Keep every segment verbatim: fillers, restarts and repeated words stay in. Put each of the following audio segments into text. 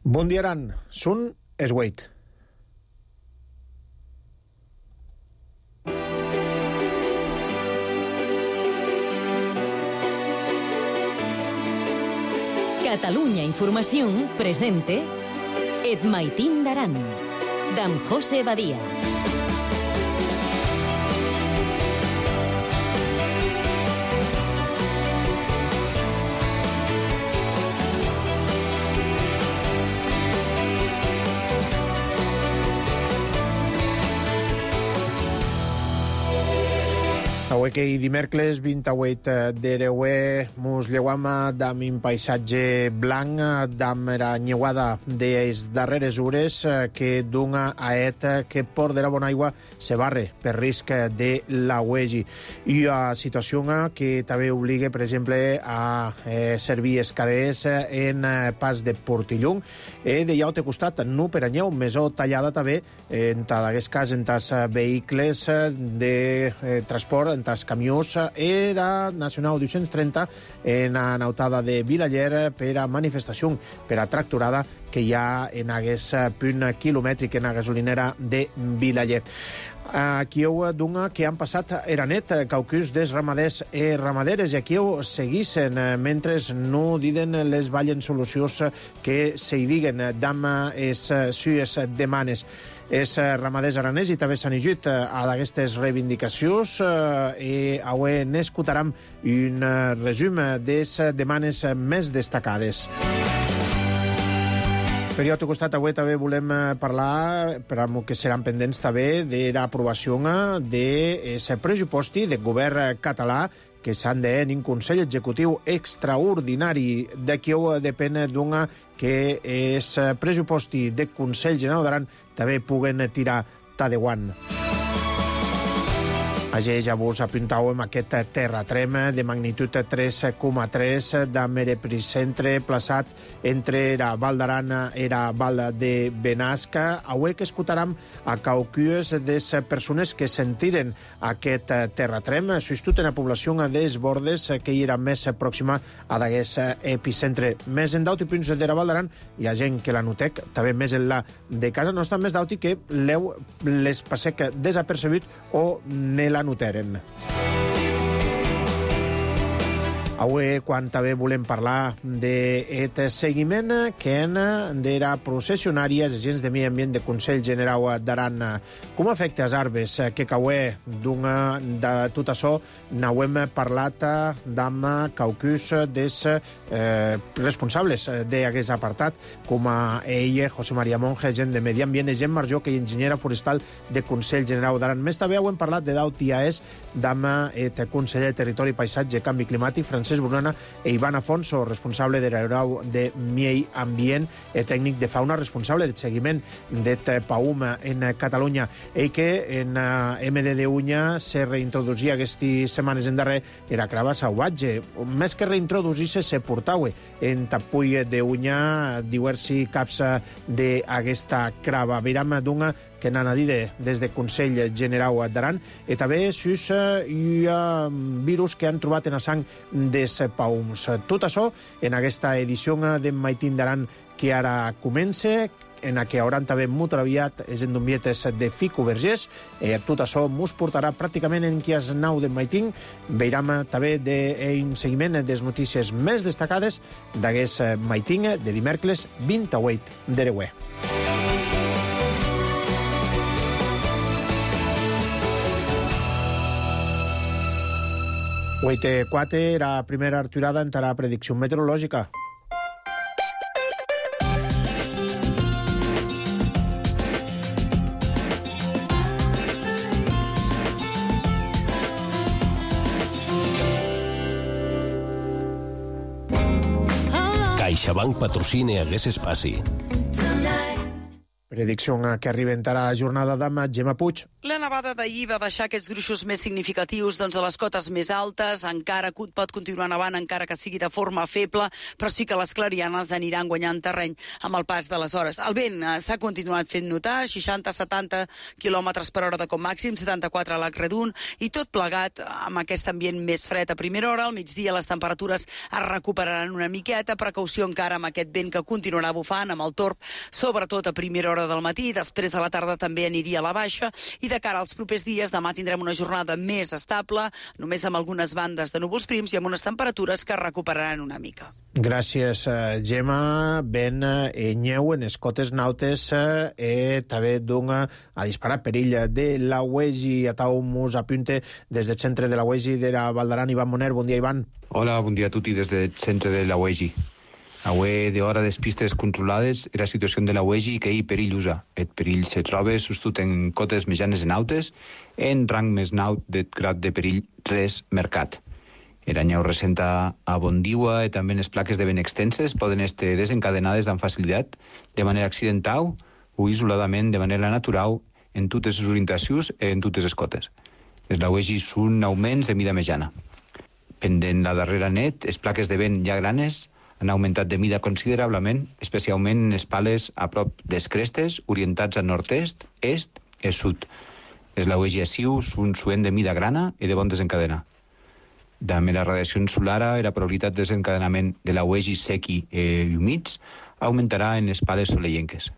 Bon dia, Aran. Sun Esweit. Catalunya Informació presente Et Maitín d'Aran, d'en José Badia. Avui que dimecres vint-i-vuit d'Ereuer mos lleuam d'am un paisatge blanc, d'am era nyeuada des darreres hores que d'una aet que por de la bona aigua se barre per risc de la uegi. I a situació que també obliga, per exemple, a eh, servir escaders en pas de Portillung. E de llaute costat, no per anyeu, mesó tallada també, en aquest cas, en tas vehicles de eh, transport, en tas camions, era Nacional dos-cents trenta en anautada de Vilaller per a manifestació, per a tracturada que hi ha en aquest punt quilomètric en la gasolinera de Vilaller. Aquí heu d'una que han passat era net, caucus des ramaders i ramaderes, i aquí heu seguissin, mentre no diden les vallen solucions que se hi diguen d'am es sues demanes. Els ramaders aranès i també s'han llegit a d'aquestes reivindicacions i avui n'escoltarem un resum de les demanes més destacades. Per l'altre costat, avui també volem parlar, per que seran pendents també, de l'aprovació dels pressuposti del govern català que s'han de en un Consell Executiu extraordinari. D'aquí depèn d'una que és pressuposti del Consell General d'Aran també puguen tirar ta de guant. Així ja vos apuntàvem aquest terratrem de magnitud tres coma tres d'am epicentre plaçat entre la Val d'Aran i la Val de Benasca. Avui que escoltarem a caucues de les persones que sentiren aquest terratrem, sobretot en la població dels bordes que hi era més pròxima a d'aquest epicentre. Més en d'auti punts de la Val d'Aran hi ha gent que la notec, també més en la de casa nostra, més d'auti que l'heu les passec desapercebut o ne la noteren. Avui, quan també volem parlar d'aquest seguiment que en de la processionària els agents de Medi Ambient del Consell General d'Aran. Com afecta els arbres que caué d'una de tot això? N'hem parlat d'am caucus dels eh, responsables d'aquest apartat, com a ell, José María Monge, agent de Medi Ambient, i Gent Marjó, que és enginyera forestal del Consell General d'Aran. Més també hem parlat de d'au T A E S, d'am el conseller de Territori, Paisatge i Canvi Climàtic, Francesc Brunana, i Ivan Afonso, responsable de l'Aerau de Medi Ambient, i tècnic de fauna, responsable del seguiment del PAUM en Catalunya, i que en M D de Unya se reintroducia aquestes setmanes en darrer era crava salvatge. Més que reintroduir-se, se portava en Tapull de Unya diversi caps d'aquesta crava. Veiram d'una que n'han dit des del Consell General d'Aran, i també sus hi ha virus que han trobat en la sang dels paums. Tot això en aquesta edició de Maitín d'Aran que ara comença, en la que hauran també molt aviat les endombietes de Fico Vergés. Eh, tot això mos portarà pràcticament en qui es nau de Maitín. Veiram també d'un seguiment de les notícies més destacades d'aquest Maitín de dimecres vint-i-vuit d'Ereuer. vuit quatre, la primera aturada en la predicció meteorològica. CaixaBank patrocina aquest espai. Predicció que arriba en la jornada d'ama Gemma Puig. La nevada d'ahir va deixar aquests gruixos més significatius doncs, a les cotes més altes. Encara pot continuar nevant, encara que sigui de forma feble, però sí que les clarianes aniran guanyant terreny amb el pas de les hores. El vent eh, s'ha continuat fent notar, seixanta a setanta quilòmetres per hora de com màxim, setanta-quatre a l'Acredun, i tot plegat amb aquest ambient més fred a primera hora. Al migdia les temperatures es recuperaran una miqueta, precaució encara amb aquest vent que continuarà bufant, amb el torb, sobretot a primera hora del matí, després a la tarda també aniria a la baixa, i de cara als propers dies, demà tindrem una jornada més estable, només amb algunes bandes de núvols prims i amb unes temperatures que es recuperaran una mica. Gràcies, Gemma. Ben enyeu en les cotes nautes e també dunga a disparar perill de la Uegi. Atau mus apunte des del centre de la Uegi de la Valdaran. Ivan Moner, bon dia, Ivan. Hola, bon dia a tutti des del centre de la Uegi. Avui d'hora de pistes controlades era situació de la Uegi que hi perillosa. El perill se troba sostut en cotes mitjanes en autes, en rang més naut de grad de perill tres mercat. Era nyeu recenta a Bondiua i també les plaques de vent extenses poden estar desencadenades amb facilitat de manera accidental o isoladament de manera natural en totes les orientacions i en totes les cotes. Les la Uegi són augments de mida mitjana. Pendent la darrera net, les plaques de vent ja granes han augmentat de mida considerablement, especialment en les pales a prop des crestes, orientats a nord-est, est i sud. Les la Uegi a Siu són suent de mida grana i de bon desencadenar. També la radiació solar i la probabilitat de desencadenament de la Uegi sequi i humits augmentarà en les pales soleienques.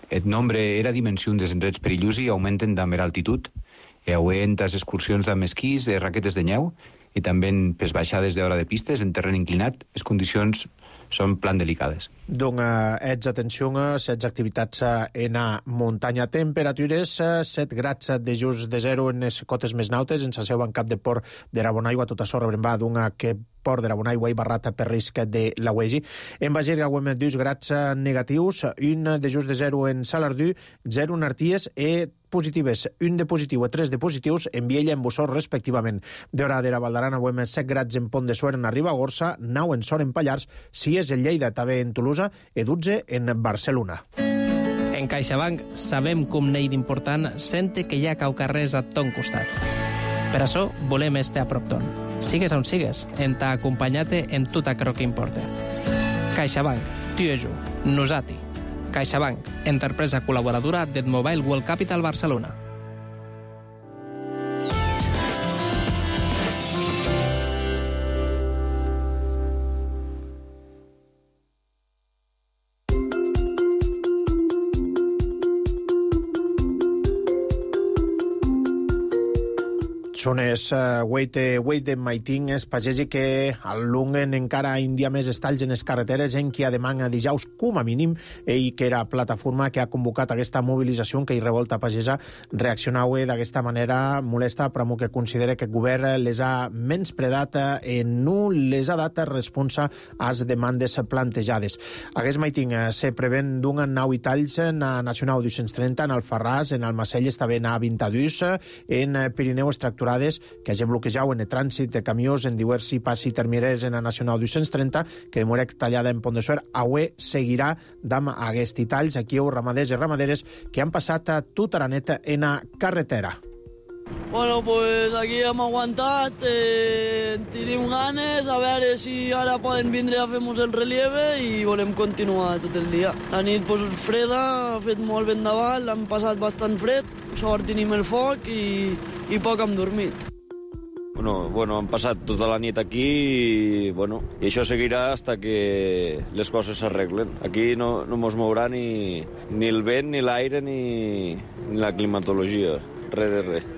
El nombre i la dimensió dels indrets perillosi augmenten també l'altitud, i auguen les excursions amb esquís i raquetes de neu, i també en pes baixades d'hora de pistes en terreny inclinat, les condicions són plan delicades. Doncs ets atenció a les activitats en a muntanya. Temperatures, set grads de just de zero en les cotes més nautes, en la seu en cap de port de Rabonaigua, tot això rebrembar d'un que port de Rabonaigua i barrata per risc de la Uegi. En Bagerga guem dos grads negatius, un de just de zero en Salardú, zero en Arties i positives, un de positiu i tres de positius en Viella i en Bussor, respectivament. D'hora de la Valdarana, guem set grads en Pont de Suert en Ribagorça, nou en Sor en Pallars, sis en Lleida, també en Tolosa, i dotze en Barcelona. En CaixaBank sabem com n'hi d'important sente que hi ha caucarrers a ton costat. Per això volem estar a prop ton. Sigues on sigues, en t'ha acompanyat en tot aquello que importa. CaixaBank, tu i jo, nosati. CaixaBank, empresa col·laboradora del Mobile World Capital Barcelona. Són es uh, Weite Weite Maiting es pagesi que allunguen encara un dia més estalls en les carreteres en qui demana dijous com a mínim ell que era plataforma que ha convocat aquesta mobilització que hi revolta pagesa reaccionau d'aquesta manera molesta però que considera que el govern les ha menyspredat i no les ha dat responsa a les demandes plantejades. Aquest Maiting uh, se prevén d'un nou i talls en la Nacional dos-cents trenta, en Alfarràs, en Almacelles, també en A vint-i-dos, en Pirineu Extracturades, que hagi bloquejat en el trànsit de camions en diversi passi termineres en la Nacional dos-cents trenta, que demora tallada en Pont de Suert. Avui seguirà amb aquests talls aquí heu ramaders i ramaderes que han passat tota la neta en la carretera. Bueno, pues aquí hem aguantat, eh, tenim ganes, a veure si ara poden vindre a fer-nos el relieve i volem continuar tot el dia. La nit pues, freda, ha fet molt vent davant, l'hem passat bastant fred, sort tenim el foc i, i poc hem dormit. Bueno, bueno, hem passat tota la nit aquí i, bueno, i això seguirà hasta que les coses s'arreglen. Aquí no, no mos mourà ni, ni el vent, ni l'aire, ni, ni la climatologia, res de res.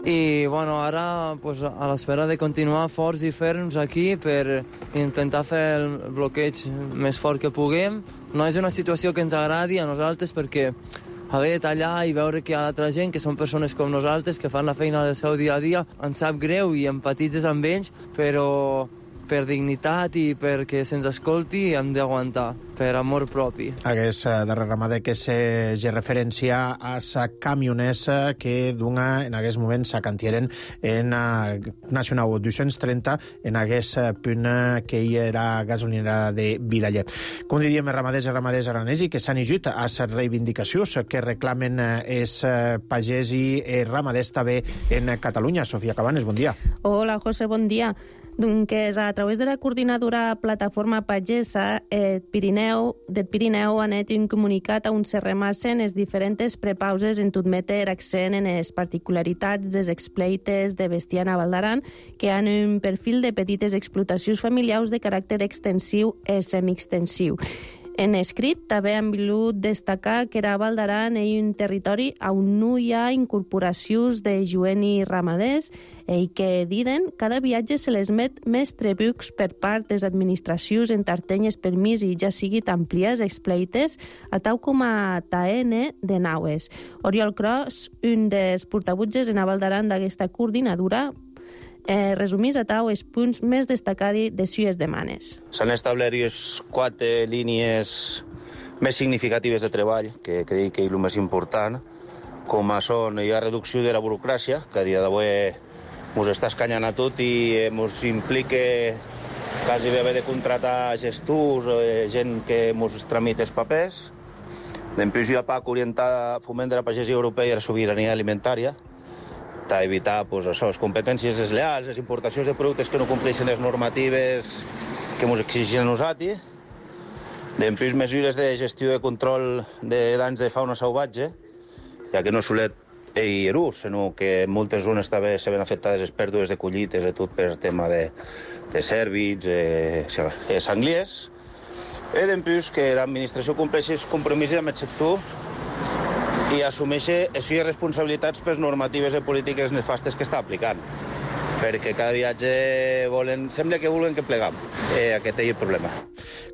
I bueno, ara pues, a l'espera de continuar forts i ferms aquí per intentar fer el bloqueig més fort que puguem. No és una situació que ens agradi a nosaltres perquè haver de tallar i veure que hi ha altra gent, que són persones com nosaltres, que fan la feina del seu dia a dia, ens sap greu i empatitzes amb ells, però, per dignitat i perquè se'ns escolti hem d'aguantar, per amor propi. Hagués darrer ramader que se ge referència a sa camionesa que dunga en aquest moment sa cantieren en Nacional dos-cents trenta en aquest punt que hi era gasolinera de Vilaller. Com diríem, ramaders i ramaders aranesi que s'han ajut a les reivindicacions que reclamen els pagès i ramaders també en Catalunya. Sofia Cabanes, bon dia. Hola, José, bon dia. Doncs a través de la coordinadora Plataforma Pagesa eh, Pirineu, del Pirineu han fet un comunicat on se remassen les diferents prepauses en tot meter accent en les particularitats dels expleites de bestiar a Val d'Aran, que han un perfil de petites explotacions familiars de caràcter extensiu i semiextensiu. En escrit també han volgut destacar que a Val d'Aran hi ha un territori on no hi ha incorporacions de joent i ramaders i que, diuen, cada viatge se les met més tributs per part de les administracions en tartenyes permís i ja sigui amplies expleites a tau com a taene de naues. Oriol Cros, un dels portavutges en Val d'Aran d'aquesta coordinadora, Eh, resumís a tau els punts més destacats de sues demanes. S'han establert quatre línies més significatives de treball, que crec que és el més important, com a són la reducció de la burocràcia, que a dia d'avui ens està escanyant a tot i ens implica quasi bé haver de contratar gestors o gent que ens tramita els papers. Després hi ha P A C orientada a foment de la pagesia europea i la sobirania alimentària, a evitar pues, això, les competències desleals, les importacions de productes que no compleixen les normatives que ens exigeixen a nosaltres. Després, mesures de gestió i control de danys de fauna salvatge, ja que no solet i erús, sinó que en moltes zones també se ven afectades les pèrdues de collites, de tot per tema de, de cèrvids, de, de sangliers. I després que l'administració compleixi els compromisos amb el sector i assumeixi les seves responsabilitats per les normatives i polítiques nefastes que està aplicant. Perquè cada viatge volen, sembla que volen que plegam. Eh, aquest és el problema.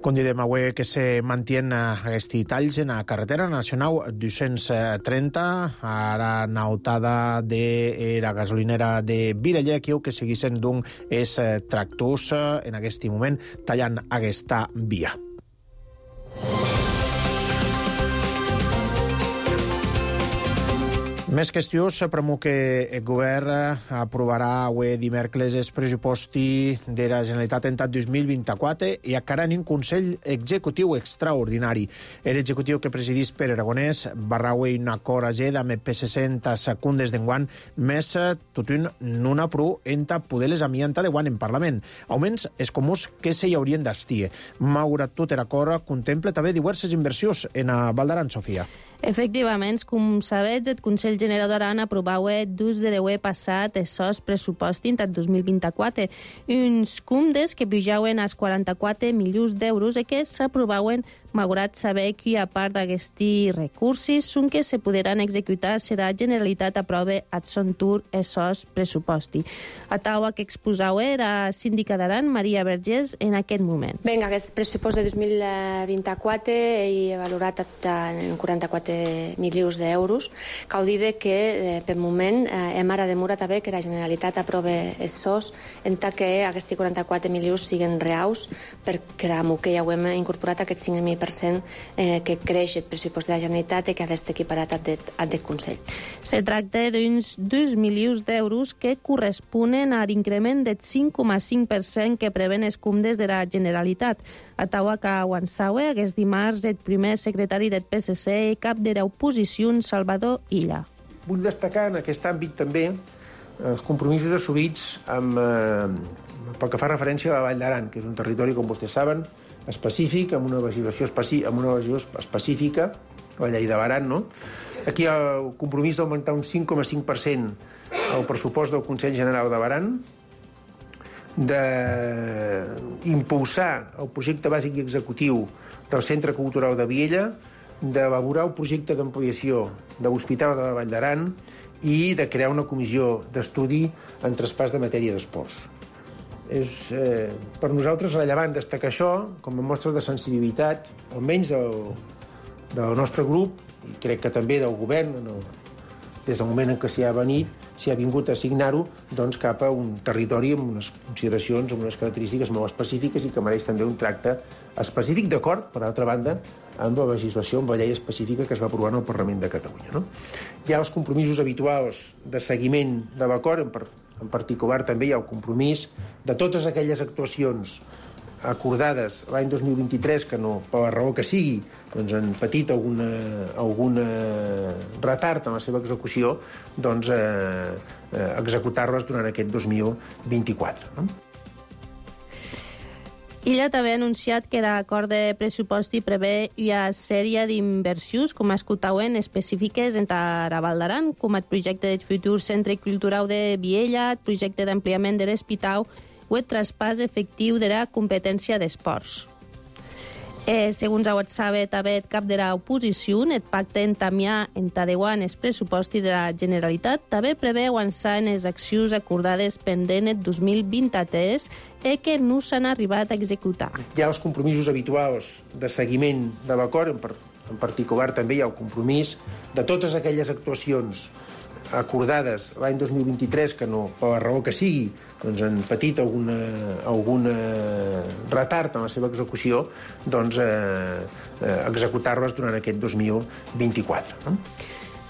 Com diem avui que se mantien aquests talls en la carretera nacional dos-cents trenta, ara nautada de la gasolinera de Vilaller, que seguissin d'un els tractors en aquest moment tallant aquesta via. Més qüestions, premo que el govern aprovarà avui dimecres el pressuposti de la Generalitat en dos mil vint-i-quatre i encara en un Consell Executiu extraordinari. L'executiu que presidís Pere Aragonès barra avui un acord ageda amb el P S C en secundes d'enguant, més tot un non apro enta poder les amianta de guant en Parlament. Auments és comuns que se hi haurien d'estir. Malgrat tot l'acord contempla també diverses inversions en a Val d'Aran, Sofia. Efectivament, com sabeu, el Consell General d'Aran aprovava dos de l'any passat el sos pressupost en dos mil vint-i-quatre, uns comptes que pujaven als quaranta-quatre milions d'euros i que s'aprovaven malgrat saber que a part d'aquests recursos són que se podran executar si la Generalitat aprova a son tour el sos pressuposti. A taula que exposava era síndica d'Aran, Maria Vergés, en aquest moment. Vinga, aquest pressupost de dos mil vint-i-quatre he valorat en quaranta-quatre milions d'euros. Cal dir que eh, per moment eh, hem ara demorat a veure que la Generalitat aprova el sos en tant que aquests quaranta-quatre milions siguen reals perquè que ja ho hem incorporat aquest cinc mil per cent eh, que creix el pressupost de la Generalitat i que ha d'estar equiparat al del Consell. Se tracta d'uns dos milions d'euros que corresponen a l'increment del cinc coma cinc per cent que preven els comptes de la Generalitat. A taula que avançava aquest dimarts el primer secretari del P S C i cap de l'oposició, Salvador Illa. Vull destacar en aquest àmbit també els compromisos assumits amb, eh, pel que fa referència a la Vall d'Aran, que és un territori, com vostès saben, específic, amb una legislació, especi amb una legislació específica, la llei de l'Aran, no? Aquí hi ha el compromís d'augmentar un cinc coma cinc per cent el pressupost del Consell General de l'Aran, d'impulsar el projecte bàsic i executiu del Centre Cultural de Viella, d'elaborar un projecte d'ampliació de l'Hospital de la Vall d'Aran i de crear una comissió d'estudi en traspàs de matèria d'esports. És eh, per nosaltres rellevant destacar això com a mostra de sensibilitat, almenys del, del nostre grup, i crec que també del govern, en el, des del moment en què s'hi ha venit, s'hi ha vingut a assignar-ho doncs, cap a un territori amb unes consideracions, amb unes característiques molt específiques i que mereix també un tracte específic, d'acord, per altra banda, amb la legislació, amb la llei específica que es va aprovar en el Parlament de Catalunya. No? Hi ha els compromisos habituals de seguiment de l'acord, en, en particular també hi ha el compromís de totes aquelles actuacions acordades l'any dos mil vint-i-tres, que no, per la raó que sigui, doncs han patit alguna, alguna retard en la seva execució, doncs eh, eh, executar-les durant aquest dos mil vint-i-quatre. No? Illa també ha anunciat que l'acord de pressupost prevé una sèrie d'inversions, com escoltauen, específiques en la Val d'Aran, com el projecte del futur Centre Cultural de Viella, el projecte d'ampliament de l'Hospital o el traspàs efectiu de la competència d'esports. Eh, segons ho sabe també el cap de l'oposició, el pacte entamià en Tadeuan el pressupost de la Generalitat també preveu avançar en les accions acordades pendent el dos mil vint-i-tres i que no s'han arribat a executar. Hi ha els compromisos habituals de seguiment de l'acord, en, en particular també hi ha el compromís de totes aquelles actuacions acordades l'any dos mil vint-i-tres, que no, per la raó que sigui, doncs han patit alguna, alguna retard en la seva execució, doncs eh, eh, executar-les durant aquest dos mil vint-i-quatre. No?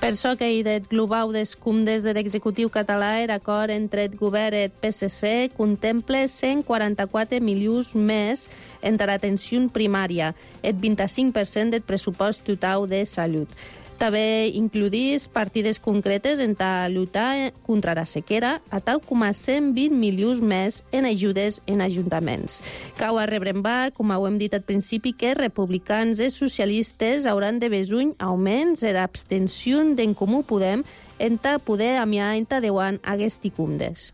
Per això que hi del global dels comptes de l'executiu català, l'acord entre el govern i el P S C contempla cent quaranta-quatre milions més entre l'atenció primària, el vint-i-cinc per cent del pressupost total de salut. També includís partides concretes en la lluita contra la sequera, a tal com a cent vint milions més en ajudes en ajuntaments. Cau a rebrembar, com ho hem dit al principi, que republicans i socialistes hauran de besuny augments en l'abstenció d'en Comú Podem en ta poder amiar en ta deuan aquests cumdes.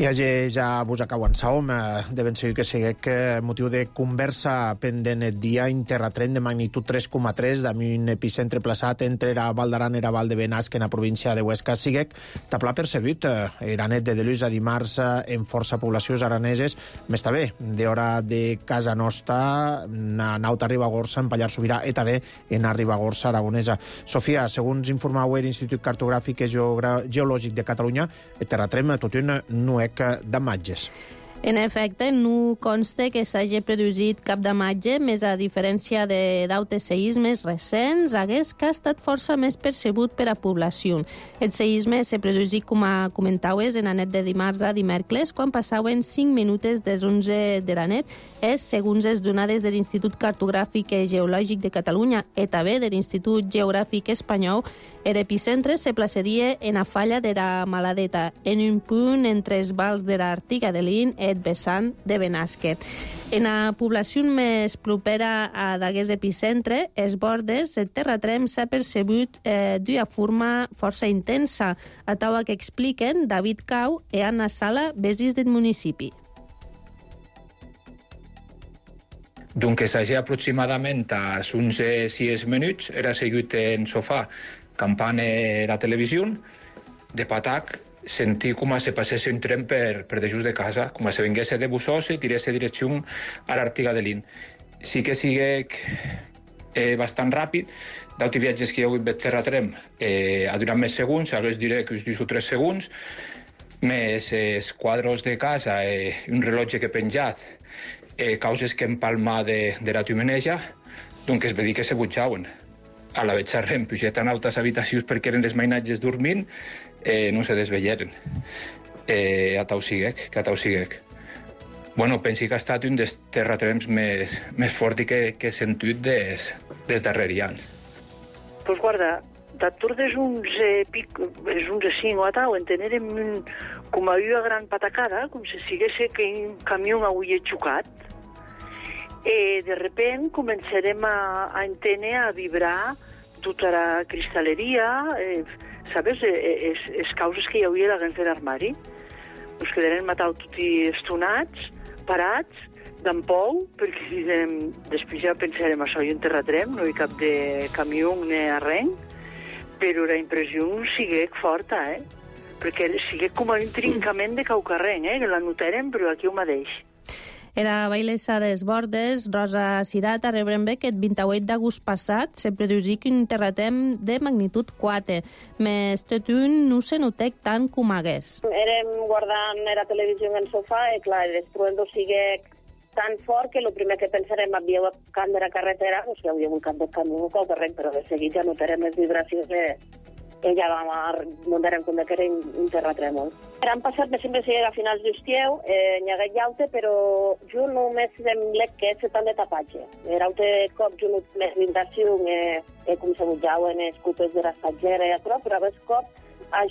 I hagi ja vos acabo en saom, de ben segur que seguec motiu de conversa pendent el dia interratren de magnitud tres coma tres d'un un epicentre plaçat entre la Val d'Aran i la Val de Benasc en la província de Huesca. Seguec taplà percebut, era net de deluix a dimarts en força poblacions araneses, més també d'hora de casa nostra, naut a Ribagorça, en Pallar Sobirà, i també en a Ribagorça aragonesa. Sofia, segons informau l'Institut Cartogràfic i Geològic de Catalunya, el terratrem tot un nuec d'imatges. En efecte, no consta que s'hagi produït cap damatge, més a diferència de d'altres seismes recents, hagués que ha estat força més percebut per a població. El seisme se produït, com a comentaues, en la nit de dimarts a dimecres, quan passaven cinc minuts des onze de la nit. És, segons les donades de l'Institut Cartogràfic i Geològic de Catalunya i també de l'Institut Geogràfic Espanyol, l'epicentre se plaçaria en la falla de la Maladeta, en un punt entre els vals de l'Artiga de l'In i el vessant de Benasque. En la població més propera a d'aquest epicentre, els bordes, el terratrem s'ha percebut eh, d'una forma força intensa, a taula que expliquen David Cau i Anna Sala, veïns del municipi. Doncs hagi aproximadament a uns sis minuts, era segut en sofà, campant la televisió, de patac, sentir com se passés un tren per, per de just de casa, com se vengués de Bussosa i tirés direcció a l'Artiga de l'In. Sí que sigui eh, bastant ràpid, d'auti viatges que hi ha hagut de terratrem eh, ha durat més segons, ara us diré que us diu tres segons, més els quadros de casa i eh, un rellotge que he penjat, eh, causes que empalma de, de la tumeneja, doncs es va dir que se butjaven. A la vetxarrem, pujat en altres habitacions perquè eren els mainatges dormint, eh, no se desvelleren. Eh, a tau siguec, que a tau siguec. Bueno, pensi que ha estat un dels terratrems més, més forts que, que he sentit des, des darrers anys. Pues guarda, d'atur des uns eh, pic, des uns cinc o a tau, entenérem un, com a una gran patacada, com si siguesse que un camió avui xocat, e de repent començarem a, a entendre, a vibrar tota la cristalleria, eh, sabes, eh, es, es causes que hi havia a la granja d'armari. Ens quedarem matat tots estonats, parats, d'en pou, perquè direm, després ja pensarem això, i un terratrem, no hi cap de camió ni arrenc, però la impressió sigue forta, eh? Perquè sigue com un trincament de caucarrenc, eh? Que la notarem, però aquí ho mateix. Era bailessa des Bordes, Rosa Cirat, arrebrem bé que el vint-i-vuit d'agost passat se produsic un terratrèm de magnitud quatre, més tot un no se notec tant com hagués. Érem guardant la televisió en el sofà i, clar, l'estruen sigue tan fort que el primer que pensarem havia un camp de la carretera, o sigui, havia un camp de camió o corrent, però de seguit ja notarem les vibracions de... Ella va muntar en compte que era un terratrèmol. Han passat, me sembla que a finals d'estieu, eh, n'hi hagué llaute, però jo només sembla que és tant de tapatge. Eraute cop jo més d'inversió, eh, eh, com se bujaven els cupes de l'estatgera i això, però a vegades cop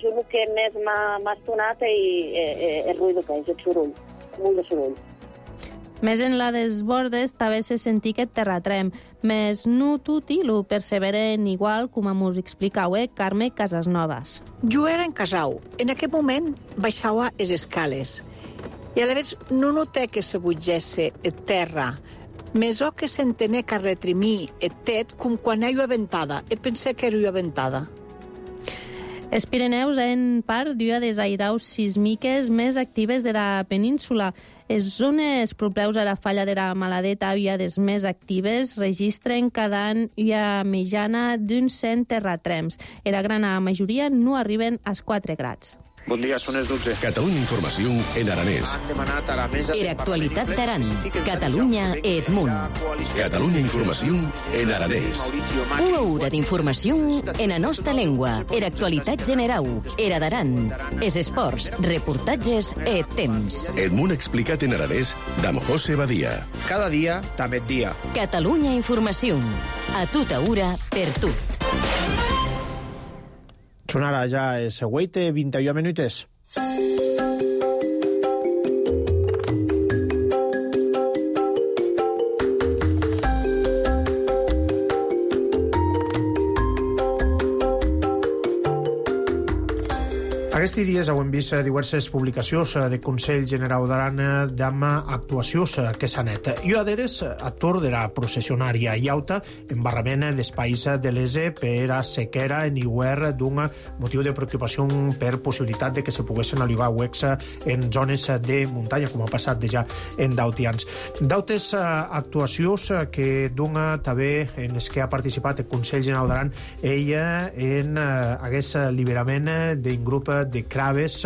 jo el que més m'ha estonat és el ruïdo que és, el soroll, molt de soroll. Més en la des Bordes també se sentí aquest terratrem, més no tutti lo perseveren igual, com mos explicau, eh, Carme Casasnovas. Jo era en Casau. En aquest moment baixava les escales. I a la vegada no noté que se bugesse el terra, més o que s'entenè que retrimir el tet com quan hi ha ventada. E pensé que era ventada. Els Pirineus en part d'una de les airaus sísmiques més actives de la península. Les zones properes a la falla de la Maladeta, una de les més actives, registren cada any una mitjana d'uns cent terratrems. En la gran majoria no arriben als quatre grads. Bon dia, són les dotze. Catalunya Informació en aranès. Era actualitat d'Aran. Catalunya et munt. Catalunya Informació en aranès. Una hora d'informació en la nostra llengua. Era actualitat generau. Era d'Aran. Es esports, reportatges et temps. El món explicat en aranès d'Am José Badia. Cada dia, també dia. Catalunya Informació. A tota hora, per tu. Són ara ja el següent, vint-i-u minutes. Aquests dies hem vist diverses publicacions de Consell Generau d'Aran d'am actuacions que s'han net. Jo adheres actor de la processionària iauta embarrament d'espais de l'Ese per a sequera en iguer d'un motiu de preocupació per possibilitat de que se poguessin alivar huecs en zones de muntanya, com ha passat ja en dautians. Dautes actuacions que d'un també en les que ha participat el Consell Generau d'Aran ella en aquest alliberament d'un grup de craves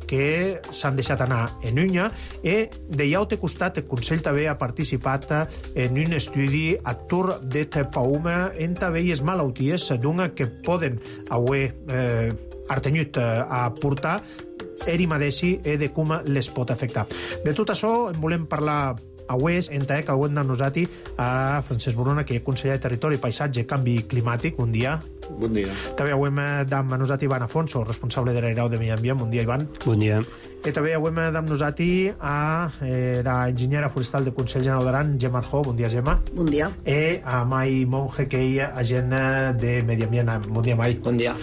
que s'han deixat anar en Unya i de llaute costat el Consell també ha participat en un estudi actor de Paume en també les malalties d'un que poden haver eh, artenyut a portar eri madeixi i de com les pot afectar. De tot això en volem parlar avui entra que ho hem d'annosati a Francesc Borona, que és conseller de Territori, Paisatge i Canvi Climàtic. Bon dia. Bon dia. També ho hem d'annosati Ivan Afonso, responsable de l'Airau de Medi Ambient. Bon dia, Ivan. Bon dia. I també ho hem d'annosati a eh, la enginyera forestal del Consell Generau d'Aran, Gemma Arjó. Bon dia, Gemma. Bon dia. I a Mai Monge, que és agent de Medi Ambient. Bon dia, Mai. Bon dia.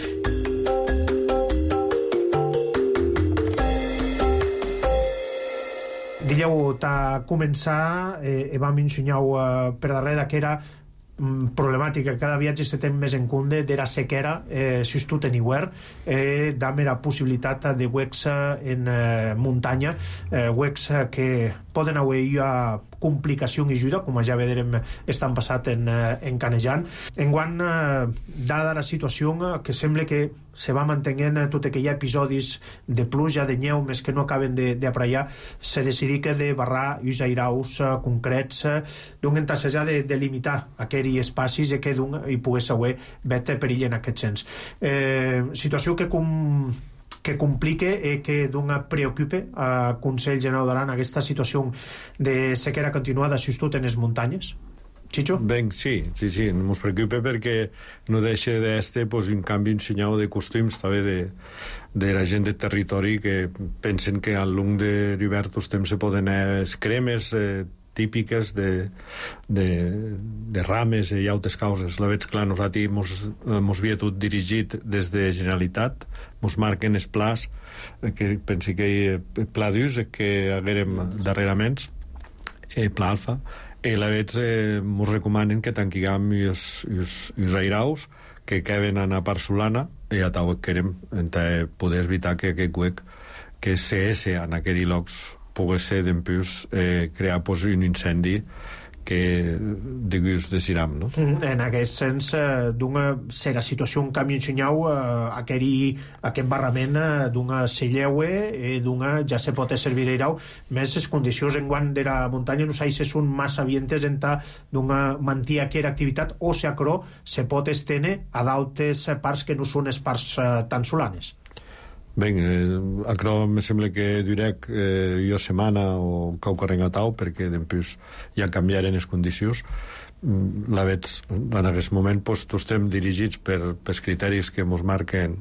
Dileu, a començar, eh, vam ensenyar eh, per darrere que era mm, problemàtica, cada viatge se té més en compte d'era sequera, eh, si tu teniu huer, eh, d'am la possibilitat de huecs en eh, muntanya, eh, huecs que poden haver a complicació i ajuda, com ja vedrem estan passat en, en Canejan. Enguant, eh, dada la situació que sembla que se va mantenint tot que hi ha episodis de pluja, de neu, més que no acaben d'apraiar, se decidí que de barrar uns airaus uh, concrets, uh, d'un entassejar de, de limitar aquells espacis i que d'un hi pogués haver vet perill en aquest sens. Eh, situació que com que complique i que d'un preocupe a Consell Generau d'Aran aquesta situació de sequera continuada, si tot en les muntanyes? Chicho? Ben, sí, sí, sí, ens preocupa perquè no deixa d'este pues, un canvi, un senyal de costums també de, de la gent de territori que pensen que al long de l'hivern els temps se poden anar cremes eh, típiques de, de, de rames i altres causes. La veig clar, nosaltres mos, mos havia tot dirigit des de Generalitat, mos marquen els plans, que pensi que hi ha pla d'ús que haguérem darrerament, eh, pla alfa, i la veig eh, mos recomanen que tanquiguem els airaus que queden a la part solana i a tau querem poder evitar que aquest huec que se esse en aquells llocs pogués ser d'empús eh, crear pues, un incendi que de gust deciram, no? En aquest sens, eh, d'una serà situació un canvi ensenyau eh, aqueri, aquest barrament eh, d'una selleue e d'una ja se pot servir irau més les condicions en guant de la muntanya no sé si són massa vientes en ta d'una mantia aquera activitat o si acrò se pot estene a d'altres parts que no són les parts eh, tan solanes. Ben, eh, acrò me sembla que durec eh, jo setmana o cauca rengatau perquè dempús ja canviaren les condicions. Mm, la veig, en aquest moment pues, tots estem dirigits per, per criteris que ens marquen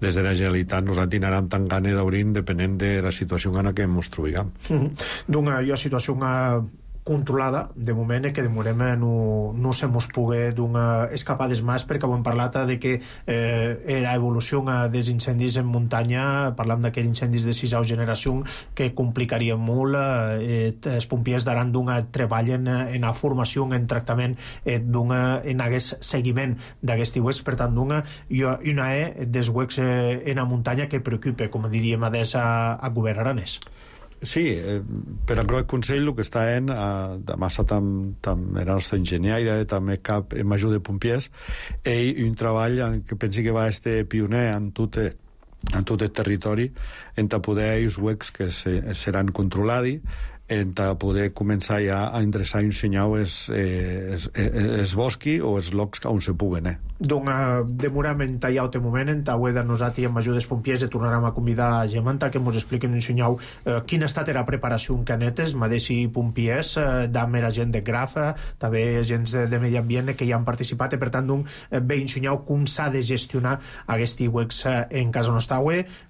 des de la Generalitat. Nosaltres tindrem tan gana d'obrir depenent de la situació en la que ens trobem. Mm-hmm. D'una jo, situació una controlada, de moment, que de moment no, no se mos pugui donar escapades més, perquè hem parlat de que eh, la evolució dels incendis en muntanya, parlant d'aquells incendis de sisau generació que complicaria molt, eh, els pompiers daran d'un treball en, en la formació, en tractament, eh, en aquest seguiment d'aquest huecs, per tant, d'una una e dels huecs eh, en la muntanya que preocupa, com diríem, a, a, a govern aranès. Sí, eh, per a el Consell el que està en eh, de massa tam, tam era nostre enginyaire, també cap en major de pompiers, ell un treball en que pensi que va ser pioner en tot, en tot el territori en poder els huecs que se, seran controlats, en poder començar ja a endreçar i ensenyar els, eh, els, els bosqui o els llocs on se puguen, eh? Doncs demorem en tallar un moment, en tauer de nosaltres amb ajudes pompiers i tornarem a convidar a Gemanta que ens expliquen i ensenyau eh, quina ha estat la preparació en canetes, madeixi pompiers, eh, d'am era gent de Grafa, també gent de, de medi ambient que hi han participat i per tant doncs, eh, bé ensenyau com s'ha de gestionar aquests huecs eh, en casa nostra.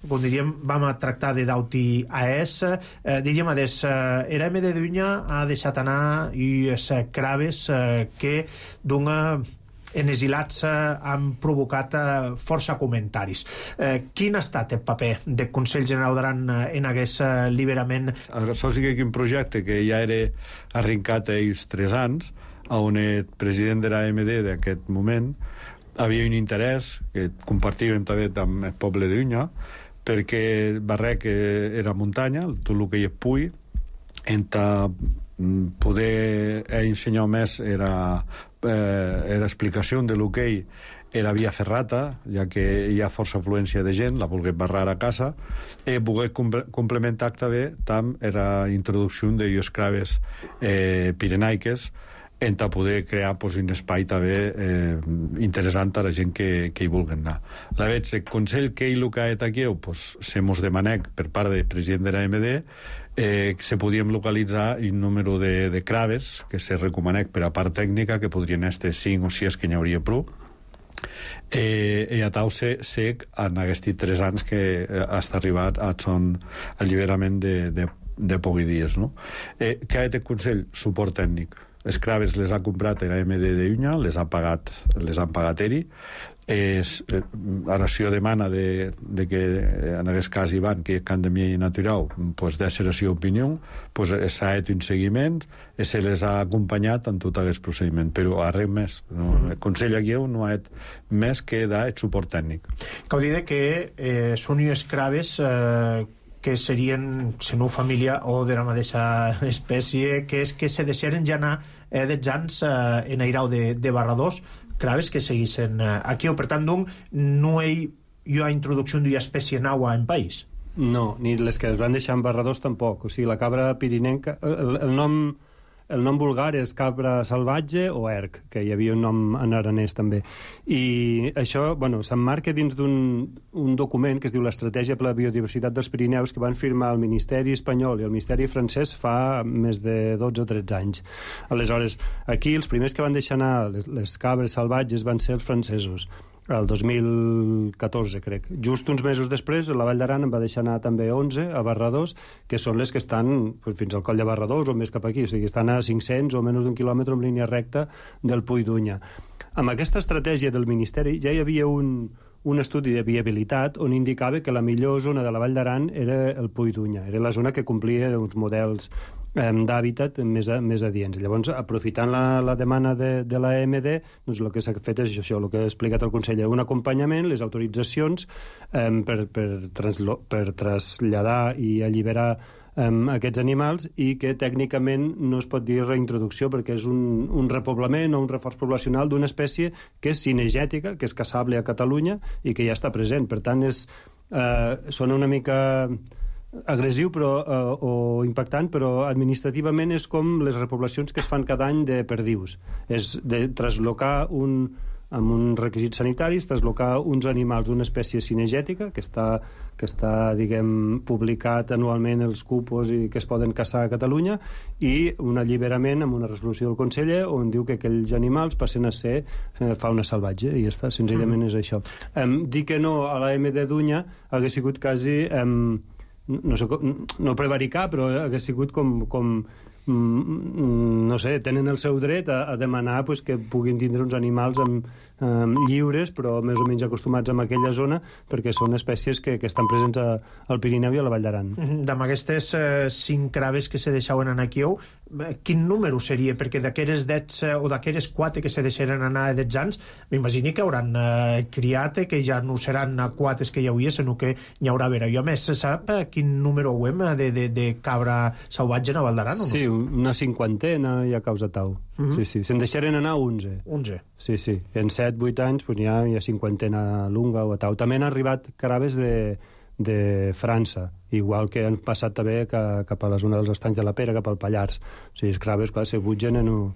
Com diríem, vam a tractar de dauti a es, eh, diríem a des eh, era M de Dunya ha deixat anar i les craves eh, que d'una en exilats eh, han provocat eh, força comentaris. Eh, quin ha estat el paper del Consell General d'Aran eh, en aquest eh, liberament? Això sí que un projecte que ja era arrencat a ells tres anys, on el president de l'A M D d'aquest moment havia un interès que compartíem també amb el poble de Dunya, perquè Barrec era muntanya, tot el que hi pugui, entre poder ensenyar més era eh, l'explicació de lo que ell era via ferrata, ja que hi ha força afluència de gent, la volgué barrar a casa, i voler complementar també tam era introducció de les craves eh, pirenaiques en poder crear pues, un espai també eh, interessant a la gent que, que hi vulgui anar. La veig, el Consell que ell el que ha aquí, pues, se mos demanec per part del president de l'A M D eh, se podíem localitzar un número de, de craves que se recomanec per a part tècnica que podrien estar cinc o sis que n'hi hauria prou eh, i a tau se sec en aquests tres anys que eh, hasta arribat a son alliberament de, de, de pocs dies, no? Eh, què ha fet el Consell? Suport tècnic. Les craves les ha comprat l'A M D de Unya, les ha pagat, les han pagat eri. És, eh, ara si jo demana de, de que en aquest cas hi van que can de mi natural pues, de ser la seva opinió pues, s'ha fet un seguiment i se les ha acompanyat en tot aquest procediment, però a res més no? El Consell aquí no ha fet més que dar el suport tècnic. Cal dir que eh, són unes craves eh, que serien, si no família o de la mateixa espècie, que és que se deixaren ja anar eh, dels anys eh, en airau de, de barradors, craves que seguissin eh, aquí, o per tant, doncs, no hi ha introducció d'una espècie nova en país. No, ni les que es van deixar en barradors tampoc. O sigui, la cabra pirinenca, el, el nom... El nom vulgar és cabra salvatge o erc, que hi havia un nom en aranès també. I això, bueno, s'emmarca dins d'un un document que es diu l'Estratègia per la Biodiversitat dels Pirineus, que van firmar el Ministeri espanyol i el Ministeri francès fa més de dotze o tretze anys. Aleshores, aquí els primers que van deixar anar les, les cabres salvatges van ser els francesos, el dos mil catorze, crec. Just uns mesos després, la Vall d'Aran en va deixar anar també onze a Barradors, que són les que estan pues, fins al coll de Barradors o més cap aquí, o sigui, estan a cinc-cents o menys d'un quilòmetre en línia recta del Puy d'Unya. Amb aquesta estratègia del Ministeri ja hi havia un, un estudi de viabilitat on indicava que la millor zona de la Vall d'Aran era el Puy d'Unya, era la zona que complia uns models d'hàbitat més, a, més adients. Llavors, aprofitant la, la demanda de, de l'A M D, doncs el que s'ha fet és això, el que ha explicat el conseller, un acompanyament, les autoritzacions eh, per, per, translo, per traslladar i alliberar um, aquests animals i que tècnicament no es pot dir reintroducció perquè és un, un repoblament o un reforç poblacional d'una espècie que és cinegètica, que és caçable a Catalunya i que ja està present. Per tant, és, uh, sona una mica agressiu però, uh, o impactant, però administrativament és com les repoblacions que es fan cada any de perdius. És de traslocar un, amb uns requisits sanitaris, traslocar uns animals d'una espècie cinegètica que està, que està diguem, publicat anualment els cupos i que es poden caçar a Catalunya, i un alliberament amb una resolució del conseller on diu que aquells animals passen a ser eh, fauna salvatge, i ja està, senzillament és això. Um, dir que no a la M de Dunya hagués sigut quasi um, no, sé, no prevaricar, però hagués sigut com, com no sé, tenen el seu dret a, a demanar pues, que puguin tindre uns animals amb, amb lliures, però més o menys acostumats a aquella zona, perquè són espècies que, que estan presents a, al Pirineu i a la Vall d'Aran. D'amb aquestes eh, cinc craves que se deixaven anar aquí, quin número seria? Perquè d'aqueres dets eh, o d'aqueres quatre que se deixaren anar a dets anys, m'imagini que hauran eh, criat, que ja no seran quatre que hi hauria, sinó que n'hi haurà vera. I a més, se sap eh, quin número ho hem de, de, de cabra salvatge a Vall d'Aran o no? Sí, una cinquantena hi ha causa tau. Uh -huh. Sí, sí. Se'n deixaren anar onze. onze. Sí, sí. En set vuit anys pues, hi, ha, hi ha cinquantena lunga o a tau. També han arribat caraves de, de França, igual que han passat també cap a la zona dels Estanys de la Pera, cap al Pallars. O sigui, els craves, clar, se butgen en un,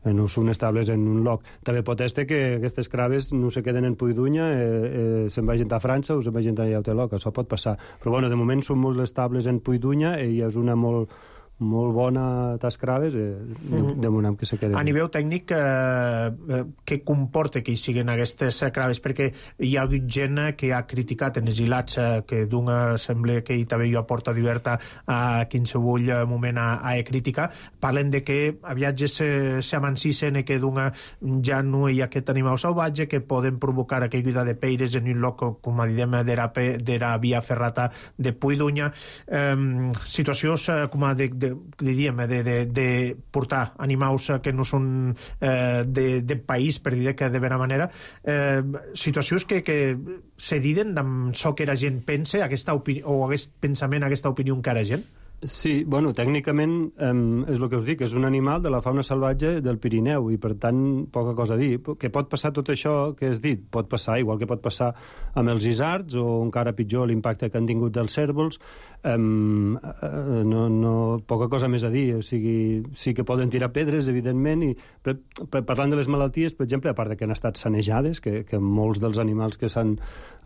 en un, són estables en un lloc. També pot ser que aquestes craves no se queden en Puidunya, eh, eh, se'n vagin a França o se'n vagin a altre lloc, això pot passar. Però bueno, de moment són molts estables en Puidunya i és una molt molt bona tascraves, eh, de, de moment que se queden. A nivell tècnic, eh, què comporta que hi siguin aquestes craves? Perquè hi ha hagut gent que ha criticat en els hilats, eh, que d'una sembla que hi també hi aporta diverta a qualsevol moment a, a crítica, parlen de que aviat se, se amancissen i que d'una ja no hi ha aquest animal salvatge, que poden provocar aquella de peires en un lloc, com a diem, de la via ferrata de Puidunya. Eh, situacions eh, com a de, de de, diríem, de, de, de portar animals que no són eh, de, de país, per dir que de vera manera, eh, situacions que, que se diden amb això que la gent pensa, aquesta opinió, o aquest pensament, aquesta opinió que la gent? Sí, bueno, tècnicament eh, és el que us dic, és un animal de la fauna salvatge del Pirineu i per tant poca cosa a dir. Que pot passar tot això que has dit? Pot passar, igual que pot passar amb els isards o encara pitjor l'impacte que han tingut dels cérvols. Eh, no, no, poca cosa més a dir, o sigui, sí que poden tirar pedres, evidentment, i per, per, parlant de les malalties, per exemple, a part de que han estat sanejades, que, que molts dels animals que s'han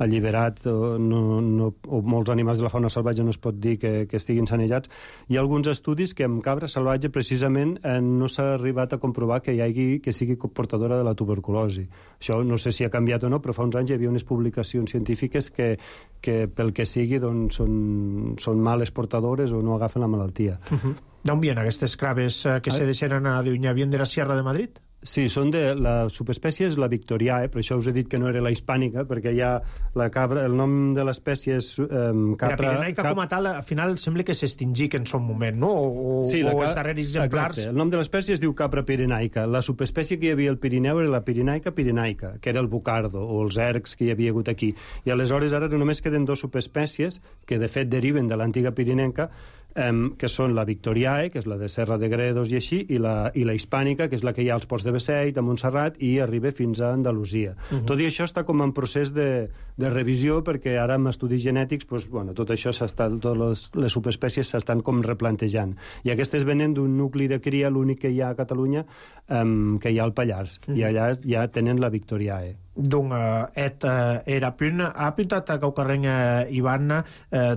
alliberat o, no, no, o molts animals de la fauna salvatge no es pot dir que, que estiguin sanejats. Hi ha alguns estudis que amb cabra salvatge precisament eh, no s'ha arribat a comprovar que hi hagi, que sigui portadora de la tuberculosi. Això no sé si ha canviat o no, però fa uns anys hi havia unes publicacions científiques que, que pel que sigui doncs, són, són males portadores o no agafen la malaltia. Uh-huh. D'on vien aquestes craves eh, que ah. se deixen anar a Dunya? Vien de la Sierra de Madrid? Sí, són de... La subespècie és la victoriae, per això us he dit que no era la hispànica, perquè hi ha la cabra... El nom de l'espècie és um, capra... La pirenaica cap... com a tal, al final sembla que s'extingí en son moment, no? O, sí, o ca... els darrers exemplars... Exacte. El nom de l'espècie es diu capra pirenaica. La subespècie que hi havia al Pirineu era la pirenaica pirenaica, que era el bucardo, o els ercs que hi havia hagut aquí. I aleshores ara només queden dos subespècies, que de fet deriven de l'antiga pirinenca, Um, que són la victoriae, que és la de Serra de Gredos i així, i la, i la hispànica, que és la que hi ha als ports de Beceit, a Montserrat, i arriba fins a Andalusia. Uh-huh. Tot i això està com en procés de, de revisió, perquè ara amb estudis genètics pues, bueno, tot això s'està, totes les, les subespècies s'estan com replantejant. I aquestes venen d'un nucli de cria, l'únic que hi ha a Catalunya, um, que hi ha al Pallars, uh-huh. i allà ja tenen la victoriae. Donc, et uh, era punt, ha apuntat a Caucarreny uh, Ivan uh,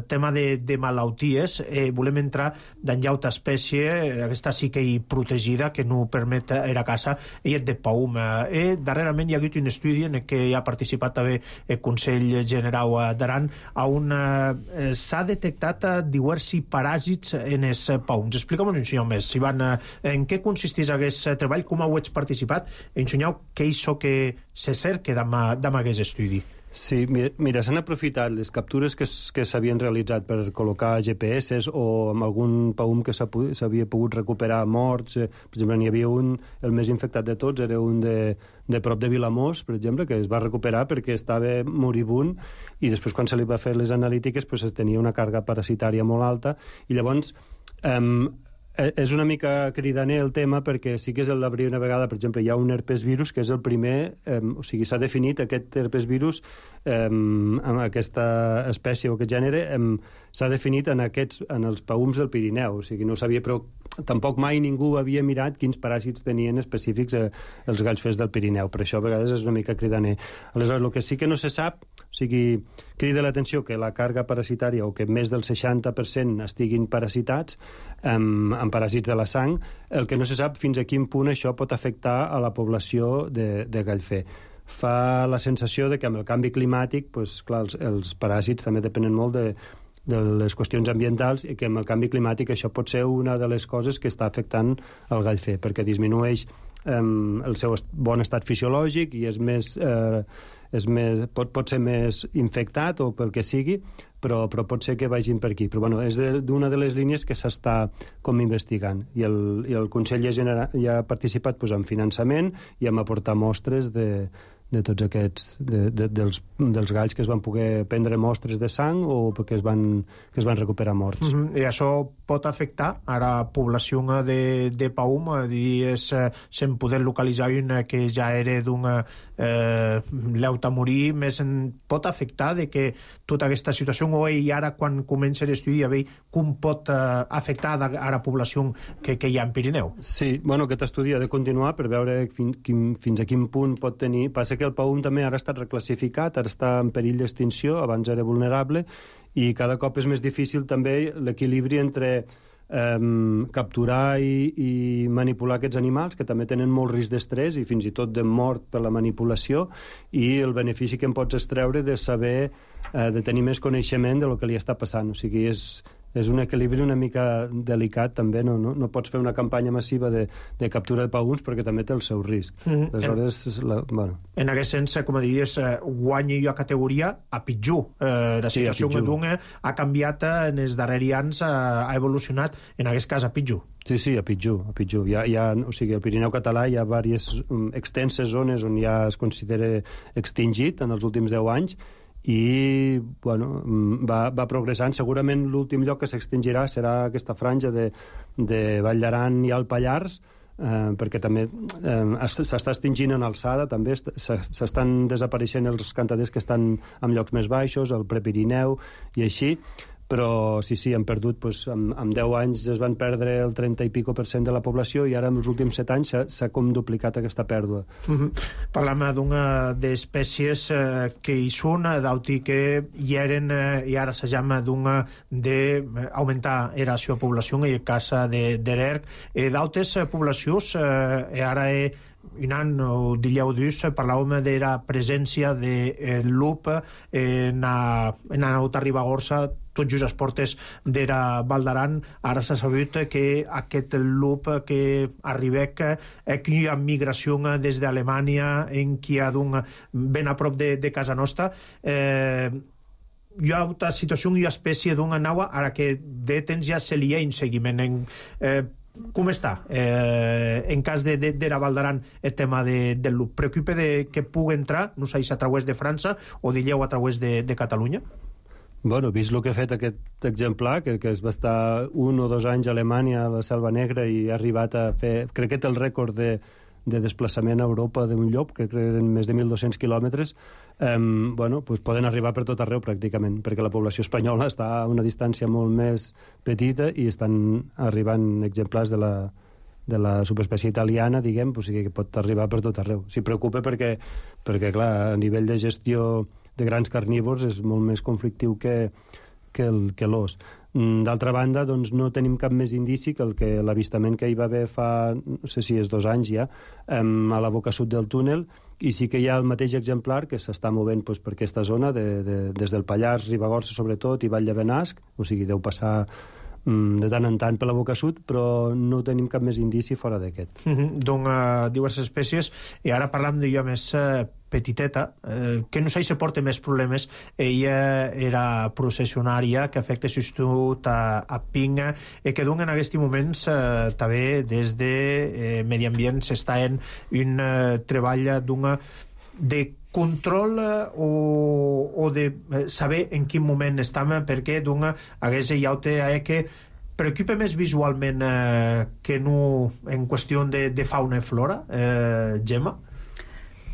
tema de, de malalties. Eh, volem entrar d'enllà altra espècie, aquesta sí que hi protegida, que no permet era caça, i és de paum. Eh, darrerament hi ha hagut un estudi en què hi ha participat també el Consell General d'Aran, on uh, s'ha detectat uh, diversos paràsits en els paums. Explica'm un senyor més, Ivan, uh, en què consisteix aquest treball, com heu participat, ensenyeu què és això que se cerca d'amb aquest estudi. Sí, mira, s'han aprofitat les captures que, que s'havien realitzat per col·locar G P S o amb algun paum que s'havia pogut recuperar morts. Per exemple, n'hi havia un, el més infectat de tots, era un de, de prop de Vilamós, per exemple, que es va recuperar perquè estava moribund i després quan se li va fer les analítiques pues, es tenia una càrrega parasitària molt alta i llavors... Eh, és una mica cridaner el tema perquè sí que és la primera vegada, per exemple, hi ha un herpes virus que és el primer, eh, o sigui, s'ha definit aquest herpes virus, eh, amb aquesta espècie o aquest gènere, eh, s'ha definit en, aquests, en els paums del Pirineu, o sigui, no sabia, però tampoc mai ningú havia mirat quins paràsits tenien específics eh, els galls fers del Pirineu, per això a vegades és una mica cridaner. Aleshores, el que sí que no se sap, o sigui, crida l'atenció que la càrrega parasitària o que més del seixanta per cent estiguin parasitats amb, amb paràsits de la sang, el que no se sap fins a quin punt això pot afectar a la població de, de gallfer. Fa la sensació de que amb el canvi climàtic, pues, clar, els, els paràsits també depenen molt de, de les qüestions ambientals i que amb el canvi climàtic això pot ser una de les coses que està afectant el gallfer, perquè disminueix eh, el seu est- bon estat fisiològic i és més... Eh, és més, pot, pot ser més infectat o pel que sigui, però, però pot ser que vagin per aquí. Però bueno, és d'una de, de les línies que s'està com investigant. I el, i el Consell ja, genera, ja ha participat pues, en finançament i en aportar mostres de, de tots aquests, de, de, dels, dels galls que es van poder prendre mostres de sang o perquè es van, que es van recuperar morts. Mm-hmm. I això pot afectar a la població de, de paum, a dir, és, se'n poder localitzar una que ja era d'una eh, leuta a morir, més en, pot afectar de que tota aquesta situació, o i ara quan comença l'estudi a veure com pot eh, afectar a la població que, que hi ha en Pirineu? Sí, bueno, aquest estudi ha de continuar per veure fin, quin, fins a quin punt pot tenir. Passa que el paum també ara ha estat reclassificat, ara està en perill d'extinció, abans era vulnerable, i cada cop és més difícil també l'equilibri entre eh, capturar i, i manipular aquests animals, que també tenen molt risc d'estrès i fins i tot de mort per la manipulació, i el benefici que en pots extreure de saber, eh, de tenir més coneixement de lo que li està passant. O sigui, és... és un equilibri una mica delicat també, no, no, no pots fer una campanya massiva de, de captura de paums perquè també té el seu risc. Mm-hmm. Aleshores, la, bueno. En aquest sens, com a diries, guanya jo a categoria a pitjor. Eh, la situació sí, d'un ha canviat en els darrers anys, ha evolucionat, en aquest cas a pitjor. Sí, sí, a pitjor, a pitjor. Hi ha, hi ha, o sigui, al Pirineu català hi ha diverses um, extenses zones on ja es considera extingit en els últims deu anys, i bueno, va, va progressant. Segurament l'últim lloc que s'extingirà serà aquesta franja de, de Vall d'Aran i el Pallars, eh, perquè també eh, s'està extingint en alçada, també s'estan desapareixent els cantaders que estan en llocs més baixos, el Prepirineu i així, però sí, sí, han perdut, doncs, en, en deu anys es van perdre el trenta i pico per cent de la població i ara en els últims set anys s'ha com duplicat aquesta pèrdua. Mm-hmm. Parlam d'una d'espècies eh, que hi són, d'auti que hi eren eh, i ara se llama d'una d'augmentar era la seva població, en el cas de, de l'Erc, eh, d'altres poblacions, eh, ara he un any o dieu dus parlàvem de la presència de eh, lup en la, en la Nauta Ribagorça, tot just les portes de la Val d'Aran. Ara s'ha sabut que aquest lup que arriba, que hi ha migració des d'Alemanya, en qui hi ha d'un ben a prop de, de casa nostra. Eh, hi ha una situació, hi ha espècie d'una nau, ara que de temps ja se li ha un seguiment en... Eh, com està eh, en cas de, de, de la Val d'Aran el tema de, del lup? Preocupa de que pugui entrar, no sé si a través de França o dilleu a través de, de Catalunya? Bueno, vist el que ha fet aquest exemplar, que, que es va estar un o dos anys a Alemanya, a la Selva Negra, i ha arribat a fer, crec que té el rècord de, de desplaçament a Europa d'un llop, que eren més de mil dos-cents quilòmetres, eh, bueno, pues poden arribar per tot arreu pràcticament, perquè la població espanyola està a una distància molt més petita i estan arribant exemplars de la, de la subespècie italiana, diguem, o sigui que pot arribar per tot arreu. S'hi preocupa perquè, perquè, clar, a nivell de gestió de grans carnívors és molt més conflictiu que, que el, que l'os. D'altra banda, doncs, no tenim cap més indici que el que l'avistament que hi va haver fa, no sé si és dos anys ja, a la boca sud del túnel, i sí que hi ha el mateix exemplar que s'està movent doncs, per aquesta zona, de, de, des del Pallars, Ribagorça sobretot, i Vall de Benasc, o sigui, deu passar de tant en tant per la boca sud, però no tenim cap més indici fora d'aquest. Mm-hmm. Doncs uh, diverses espècies, i ara parlam de jo més uh, petiteta, eh, que no sé si porta més problemes. Ella era processionària que afecta substitut a, a Pinga i que d'un en aquests moments eh, també des de eh, Medi Ambient s'està en un eh, treball d'una de control o, o de saber en quin moment estem, perquè d'una hagués ja que preocupa més visualment eh, que no en qüestió de, de fauna i flora, eh, Gemma?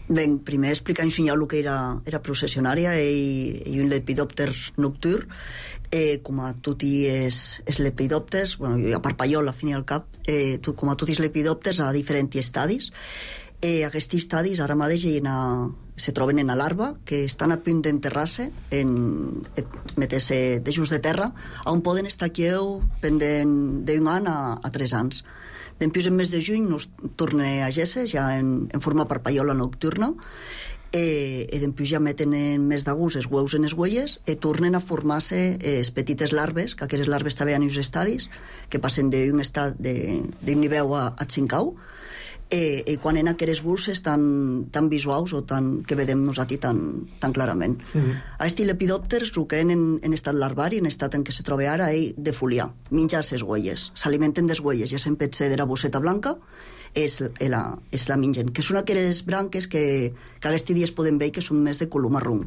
Ben, primer explicar un senyal el que era, era processionària i, i un lepidòpter nocturn. Eh, com a tutti és, és lepidòpters, bueno, a Parpallol, al fin i al cap, eh, tu, com a tutti és lepidòpters a diferents estadis. Eh, aquests estadis ara mateix a, se troben en la larva, que estan a punt d'enterrar-se, en, meter-se de just de terra, on poden estar aquí pendent d'un any a, a tres anys. Dempués, en mes de juny, nos torna a Gesse, ja en, en forma parpaiola nocturna, eh, i dempués ja meten en mes d'agost els hueus en les huelles i tornen a formar-se les petites larves, que aquestes larves també han uns estadis, que passen d'un estat d'un nivell a, a cincau, Eh, i quan en aquestes bulses tan, tan visuals o tan, que vedem nosaltres tan, tan clarament. Mm-hmm. Aquests lepidòpters, el que en, en estat larvari, en estat en què se troba ara, és de foliar, menjar les huelles, s'alimenten des huelles, ja se'n pot ser de la bosseta blanca, és la, és la mengen, que són aquelles branques que, que aquests dies podem veure que són més de color marró.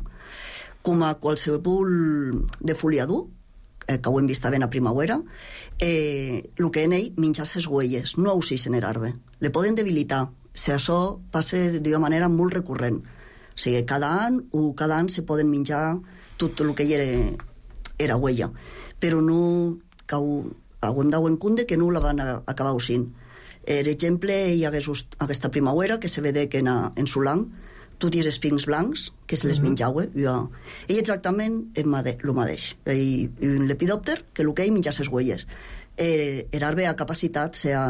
Com a qualsevol de foliador, que ho hem vist ben a primavera, eh, el que en ell menjar les huelles, no oxisen l'arbre. Le poden debilitar. Si això passa d'una manera molt recurrent. O sigui, cada any o cada any se poden menjar tot el que hi era, era huella. Però no, que ho, ho hem d'au en compte que no la van a, acabar oxint. Per exemple, hi ha aquesta primavera que se vede que en, en Solang tots els espins blancs, que se les menjava, i exactament el mateix. I un lepidòpter, que el que ell menja les huelles. L'arbre ha capacitat, sea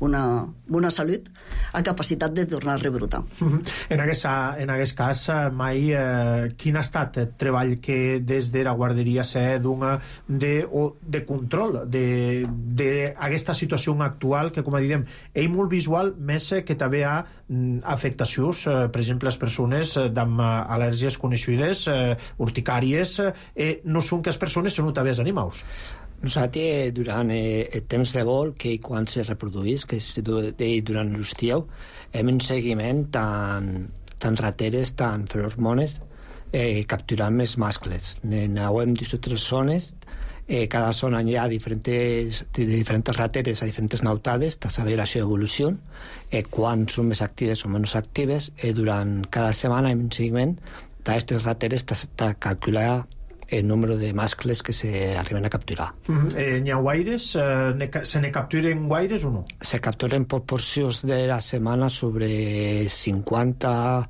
una bona salut, ha capacitat de tornar a rebrotar. En aquest, en aquest cas, mai, eh, quin ha estat el treball que des de la guarderia s'ha d'una de, o de control d'aquesta situació actual, que, com a diem, és molt visual, més que també ha afectacions, eh, per exemple, les persones amb al·lèrgies coneixudes, eh, urticàries, eh, no són que les persones, són també els animals. Nosaltres, durant el temps de vol, que quan se reproduís, que és durant l'estiu, hem un seguiment tant, tant rateres, tant ferormones, eh, capturant els mascles. Anàvem a tres zones, eh, cada zona hi ha diferents, diferents rateres a diferents nautades, de saber la seva evolució, eh, quan són més actives o menys actives, eh, durant cada setmana hem un seguiment d'aquestes rateres de calcular el número de mascles que se arriben a capturar. Mm-hmm. Eh, n'hi ha guaires? Eh, se ne capturen guaires o no? Se capturen proporcions de la setmana sobre cinquanta,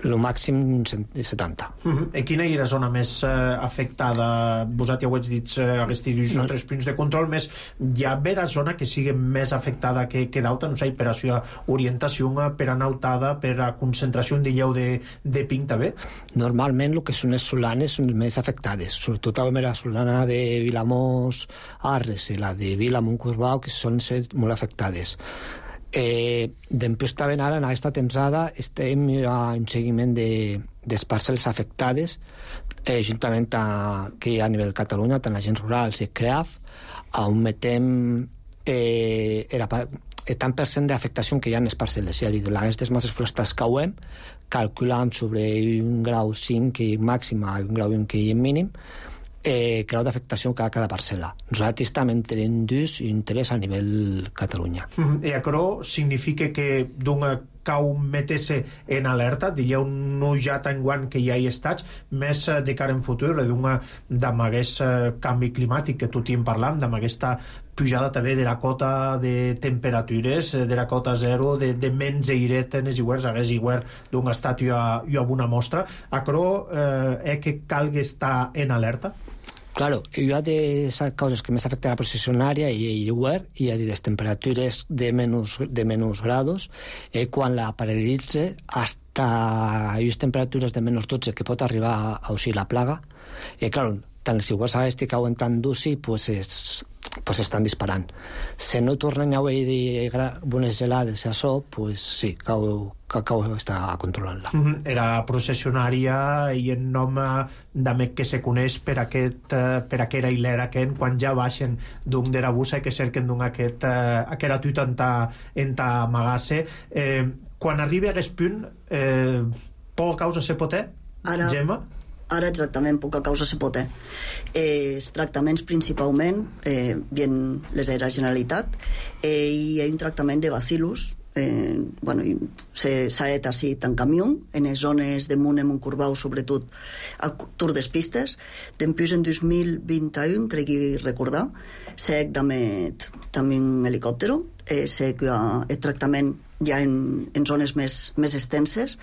el màxim setanta. Mm-hmm. I quina era la zona més eh, afectada? Vosaltres ja ho heu dit, eh, aquests dies són tres punts de control, més hi ha vera zona que sigui més afectada que, que d'altra, no sé, per a la orientació, per a nautada, per a concentració de lleu de, de pink també? Normalment el que són les solanes són les més afectades, sobretot la solana de Vilamós Arres i la de Vilamont Corbau, que són molt afectades. Eh, després també ara en aquesta temporada estem a un seguiment de, dels parcel·les afectades, eh, juntament a, que hi ha a nivell de Catalunya, tant agents rurals i C R E A F, on metem eh, el tant per cent d'afectació que hi ha en les parcel·les, és a dir, de les masses forestals que ho hem, calculant sobre un grau cinc màxim a un grau un que hi ha mínim, Eh, grau d'afectació a cada parcel·la. Nosaltres també tenim dus i interès a nivell Catalunya. Mm-hmm. I això significa que d'una cau meter-se en alerta, dieu no ja tan guant que ja hi estats, més de cara en futur, d'una amb aquest canvi climàtic que tot hi en parlam, amb aquesta pujada també de la cota de temperatures, de la cota zero, de, de menys airet en els iguers, hagués iguer d'un estat i a, i a una mostra. Això eh, és que calgui estar en alerta? Claro, hi ha de les causes que més afecten a la processionària i el iguer, hi ha de les temperatures de menys, de menys grados, eh, quan la paralitza hasta les temperatures de menys dotze que pot arribar a usar la plaga. I, claro, tant els iguals aquests que cauen tan durs, pues és, pues estan disparant. Si no tornen a haver bones gelades a això, pues sí, cau, cau està controlant-la. Mm -hmm. Era processionària i en nom d'amec que se coneix per aquest per aquera hilera que quan ja baixen d'un de la bussa i que cerquen d'un aquest aquera tuita en ta, en ta magasse. Eh, quan arribi a aquest punt, eh, poca causa se pot eh? Ara... Gemma? Ara exactament, poca causa se pot. Eh, els tractaments principalment eh, bien les de la Generalitat eh, i hi ha un tractament de bacillus eh, bueno, s'ha fet així en camió en les zones de Munt, Montcorbau, sobretot a Tour des Pistes. Després en dos mil vint i u, crec que recordar, s'ha fet també un helicòpter, eh, s'ha fet el tractament ja en, en zones més, més extenses.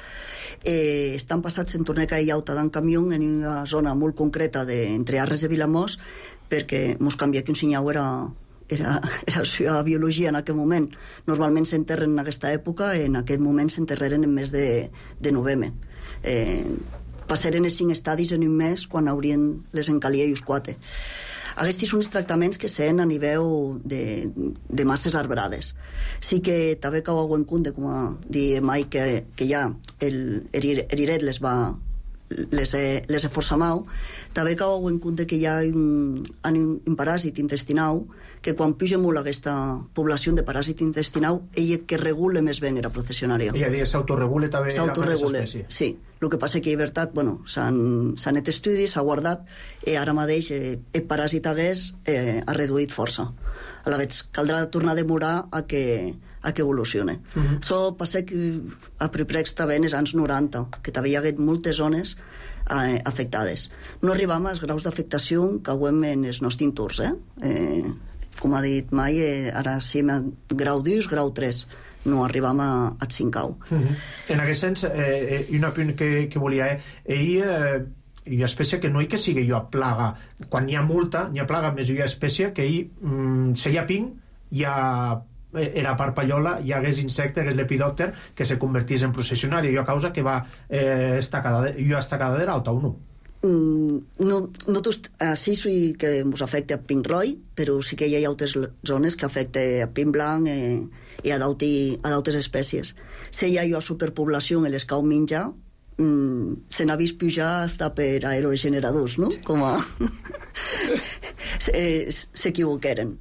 Eh, estan passats en Torneca i Auta d'en camió en una zona molt concreta de, entre Arres i Vilamós, perquè mos canvia que un senyal era era, era la seva biologia en aquell moment. Normalment s'enterren en aquesta època, en aquest moment s'enterreren en mes de, de novembre. Eh, passaren els cinc estadis en un mes quan haurien les encalia i els quatre. Aquests són els tractaments que sent a nivell de, de masses arbrades. Sí que també cau a en compte, com a dir mai, que, que ja el eriret les va les he, les he força mau. També cau en compte que hi ha un, un, un paràsit intestinal que quan puja molt aquesta població de paràsit intestinal, ella que regula més bé era processionària. Ella diu s'autoregula també s'autoregula, sí. El que passa que en veritat, bueno, s'han fet estudis, s'ha guardat i ara mateix eh, el paràsit hagués eh, ha reduït força. A la vegada caldrà tornar a demorar a que a que evolucione. Uh -huh. So passa que a Priprex també en els anys noranta, que també hi ha hagut moltes zones eh, afectades. No arribam als graus d'afectació que ho hem en els nostres tours, eh? eh com ha dit mai, eh, ara sí, grau dos, grau tres, no arribam a, a cinc grau. Uh -huh. En aquest sens, eh, un apunt que, que volia, eh, ell, eh, hi ha espècie que no hi que sigui jo a plaga. Quan hi ha multa, hi ha plaga, més hi ha espècie que ell, mm, si hi ha ping, hi ha era parpallola, hi hagués insecte, hagués l'epidòpter, que se convertís en processionari, i a causa que va eh, estacada, jo estacada de l'auta o no? Mm, no, no sí, sí que ens afecta a pin roig, però sí que hi ha altres zones que afecta a pin blanc eh, i a d'altres espècies. Si hi ha una superpoblació en les cau menjar, mm, se n'ha vist pujar hasta per aerogeneradors, no? Com a... s'equivoqueren.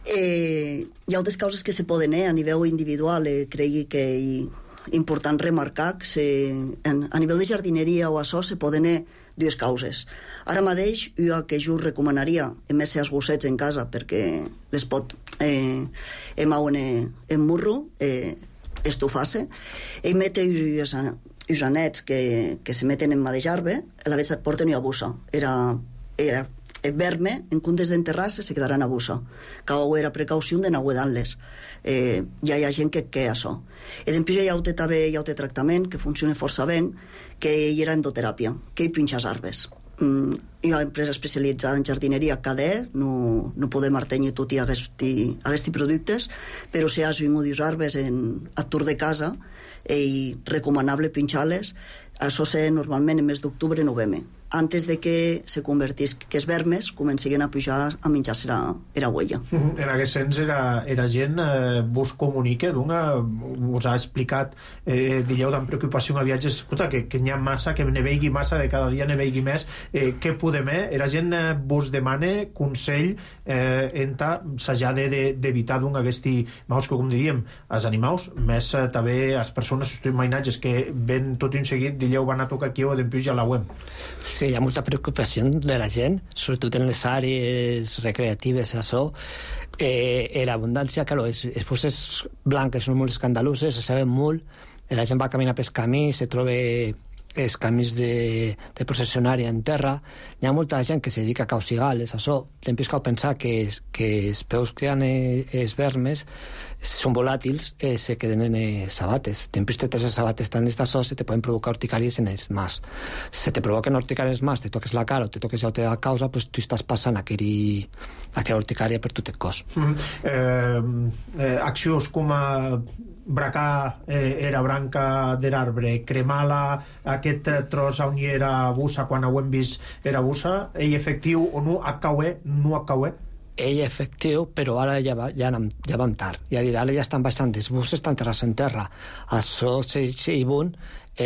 Eh, hi ha altres causes que se poden eh, a nivell individual, eh, cregui que és important remarcar que se, en, a nivell de jardineria o això se poden eh, dues causes. Ara mateix jo que jo recomanaria en més als gossets en casa perquè les pot eh, emauen eh, en murro eh, estufar-se i mete els anets que, que se meten en mà de jarbe, a la vegada et porten una bossa. Era, era verme, en comptes d'enterrar-se, se quedaran a bossa. Cau era precaució de no guardar-les. Eh, ja hi ha gent que què això. I després hi ha un també hi ha un tractament que funciona força bé, que hi era endoteràpia, que hi pinxes arbres. Mm, hi ha una empresa especialitzada en jardineria, K D E, no, no podem artenir tot i aquests productes, però si has vingut els arbres en, a tour de casa, és recomanable pinxar-les. Això se normalment en mes d'octubre i novembre, antes de que se convertís que els vermes comencin a pujar a menjar-se la huella. Uh -huh. En aquest sens era, era gent eh, vos comunica d'una, us ha explicat eh, dieu d'en preocupació a viatges, escolta, que, que n'hi ha massa, que ne veigui massa, de cada dia ne veigui més, eh, què podem, eh? Era gent eh, vos demana consell eh, en ta s'haja d'evitar d'un aquesta, vamos, que com diríem, els animals, més eh, també les persones, els mainatges que ven tot un seguit, dieu van a tocar aquí o d'empús ja la web. Sí, hi ha molta preocupació de la gent, sobretot en les àrees recreatives, això. Eh, l'abundància, clar, les, les puces blanques són molt escandaloses, se saben molt, la gent va caminar pels camins, se troba els camins de, de processionària en terra, hi ha molta gent que se dedica a causigales, això. Després cal pensar que, que els peus que hi ha els vermes són volàtils, eh, se queden en els sabates. Després te tens els sabates tan estats se te poden provocar urticàries en els mars. Se te provoquen urticàries mars, te toques la cara o te toques ja la causa, pues tu estàs passant aquella, aquella urticària per tot el cos. Mm. Eh, eh, accions com a bracar eh, era branca de l'arbre, cremar-la, aquest tros on hi era bussa, quan ho hem vist era bussa, ell efectiu o no, a cauer, no a cauer? ell efectiu, però ara ja, va, ja, anem, ja vam tard. I ara ja estan baixant els buses, estan terres en terra. Això i bon,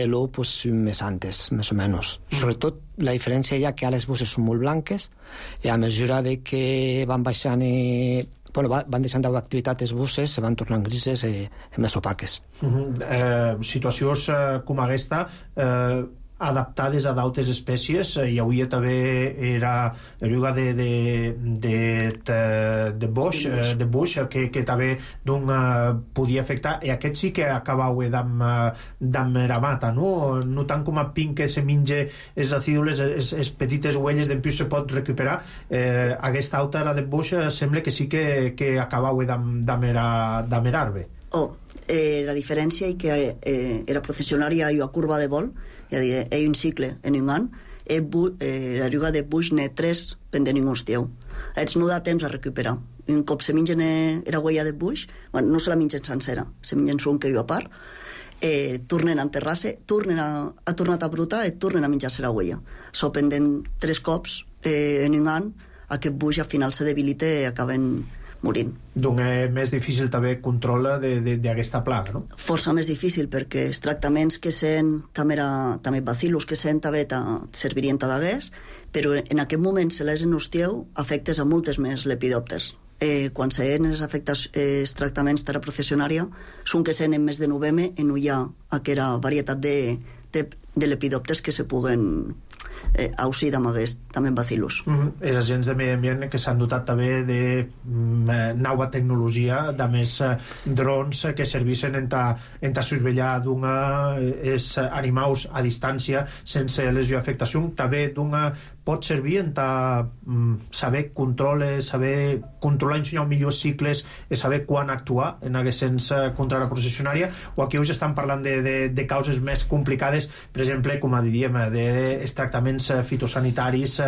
l'u pues, més antes, més o menys. Mm. Sobretot, la diferència hi ha que ara les buses són molt blanques i a mesura de que van baixant i, bueno, van deixant d'activitat les buses, se van tornant grises i, i més opaques. Mm-hmm. eh, situacions eh, com aquesta eh, adaptades a d'altres espècies. Hi hauria també era eruga de de de de, de boix, eh, de boix que, que també d'un eh, podia afectar, i aquest sí que acabau d'am d'am era mata, no? No tant com a pin que se menja les acídules, les, les petites huelles d'en plus se pot recuperar. Eh, aquesta alta era de boix sembla que sí que, que acabau d'am d'am arbre. Oh, eh, la diferència és que eh, era processionària i a curva de vol, és a dir, hi ha un cicle en un any, eh, la riuga de buix n'hi tres pendent un hostieu. Ets no da temps a recuperar. Un cop se mengen la huella de buix, bueno, no se la mengen sencera, se mengen un que hi ha a part, eh, tornen a enterrar-se, tornen a, a tornar a brotar i tornen a menjar-se la huella. So pendent tres cops eh, en un any, aquest buix al final se debilita i acaben morint. Doncs és més difícil també control d'aquesta plaga, no? Força més difícil, perquè els tractaments que sent també, era, també bacillus que sent també servirien d'hagués, però en aquest moment se les en hostieu afectes a moltes més lepidòpters. Eh, quan se en els afectes eh, els tractaments de la processionària són que sent en mes de novembre en no hi ha aquella varietat de, de, de lepidòpters que se puguen eh, ausir amb aquests també bacillus. Mm-hmm. Els agents de medi ambient que s'han dotat també de mm, nova tecnologia, de més eh, drons que servissin en ta, en ta surveillar d'una els animals a distància sense lesió o afectació, també d'una pot servir en ta, mm, saber controlar, saber controlar i ensenyar millors cicles i saber quan actuar en aquest sens contra la processionària, o aquí us estan parlant de, de, de causes més complicades, per exemple, com diríem, dels tractaments fitosanitaris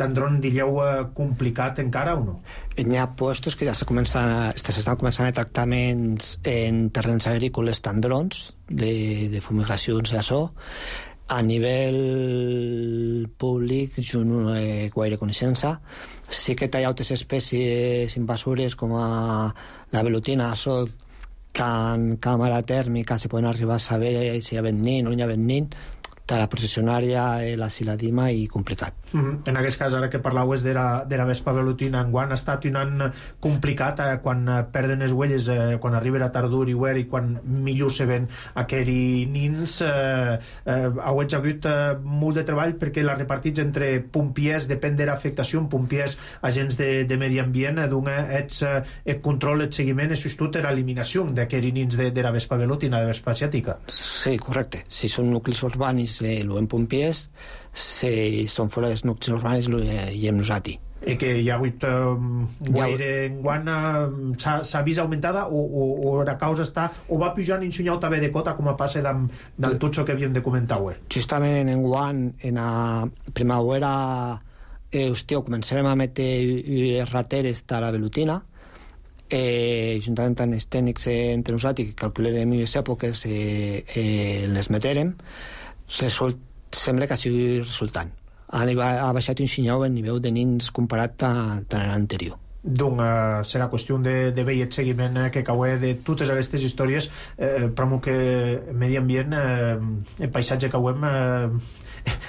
d'andron, diríeu, complicat encara o no? Hi ha puestos que ja s'estan començant a tractaments en terrenys agrícoles d'androns, de, de fumigacions i això. A nivell públic jo no he gaire coneixença. Sí que hi ha altres espècies invasores com a la velutina, això que en càmera tèrmica se poden arribar a saber si hi ha venint o no hi ha venint, de la processionària, la siladima i complicat. Mm-hmm. En aquest cas, ara que parlàveu de la, de la vespa velutina, enguany ha estat un any complicat eh, quan perden les huelles, eh, quan arriba la tardor i huer i quan millor se ven aquells nins. Eh, eh, heu hagut eh, molt de treball perquè la repartits entre pompiers, depèn de l'afectació, pompiers, agents de, de medi ambient, eh, d'un ets eh, el control, el seguiment, i sobretot l'eliminació d'aquells nins de, de la vespa velutina, de la vespa asiàtica. Sí, correcte. Si són nuclis urbanis, eh, lo en pompiers, si són fora dels nuclis urbanis, lo hi hem nosaltres. I que hi ha hagut um, guaire enguany uh, s'ha vist augmentada o, o, o la causa està o va pujant i ensenyau també de cota com a passa d'am, d'am tot això que havíem de comentar avui. Justament enguany en la primavera eh, hòstia, començarem a metre rateres de la velutina, eh, juntament amb els tècnics eh, entre nosaltres que calcularem les èpoques eh, eh, les meterem. Result, sembla que ha sigut resultant. Ha, ha baixat un xinyau el nivell de nins comparat a, a l'anterior. Doncs uh, serà qüestió de, de veure el seguiment eh, que cau de totes aquestes històries, eh, però que medi ambient, eh, el paisatge que cauem eh,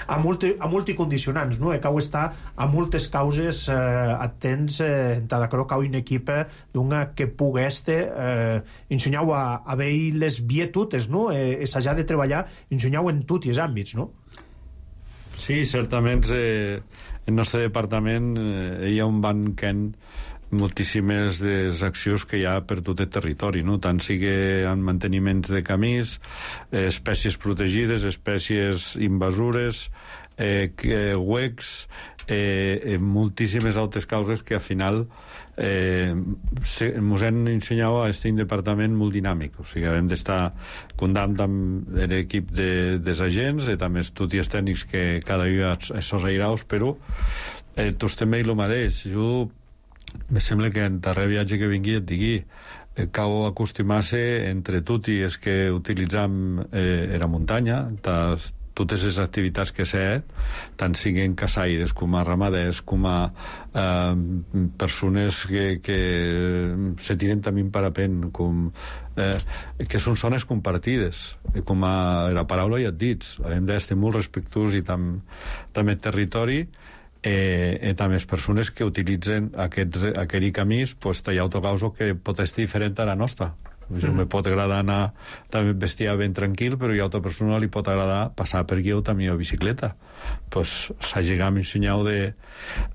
a, multi, a multicondicionants, no? Cau estar a moltes causes eh, atents, eh, de cau cau una equipa d'una que pugui este eh, ensenyau a, a veure les vietutes, no? Eh, s'ha de treballar, ensenyau en tots els àmbits, no? Sí, certament eh, el nostre departament eh, hi ha un banquent moltíssimes de les accions que hi ha per tot el territori, no? Tant sigui en manteniments de camins, eh, espècies protegides, espècies invasores, eh, eh, huecs, eh, eh, moltíssimes altres causes que al final eh, ens han ensenyat a estar un departament molt dinàmic, o sigui, hem d'estar comptant amb l'equip de, dels agents i també tots els tècnics que cada dia són airaus, però eh, tots també el mateix. Jo me sembla que en darrer viatge que vingui et digui eh, cal acostumar-se entre tots i és que utilitzam eh, la muntanya, tot totes les activitats que sé, tant siguin caçaires com a ramaders, com a eh, persones que, que se tiren també en parapent, com, eh, que són zones compartides, com a la paraula ja et dits, hem d'estar molt respectuosos i tam, també el territori, eh, eh, també les persones que utilitzen aquests, aquell camins, pues, hi ha autocausos que pot ser diferent a la nostra. Mm. Me pot agradar anar també vestia ben tranquil, però hi ha altra persona li pot agradar passar per aquí o també a bicicleta. Pues s'hagigam ensenyau de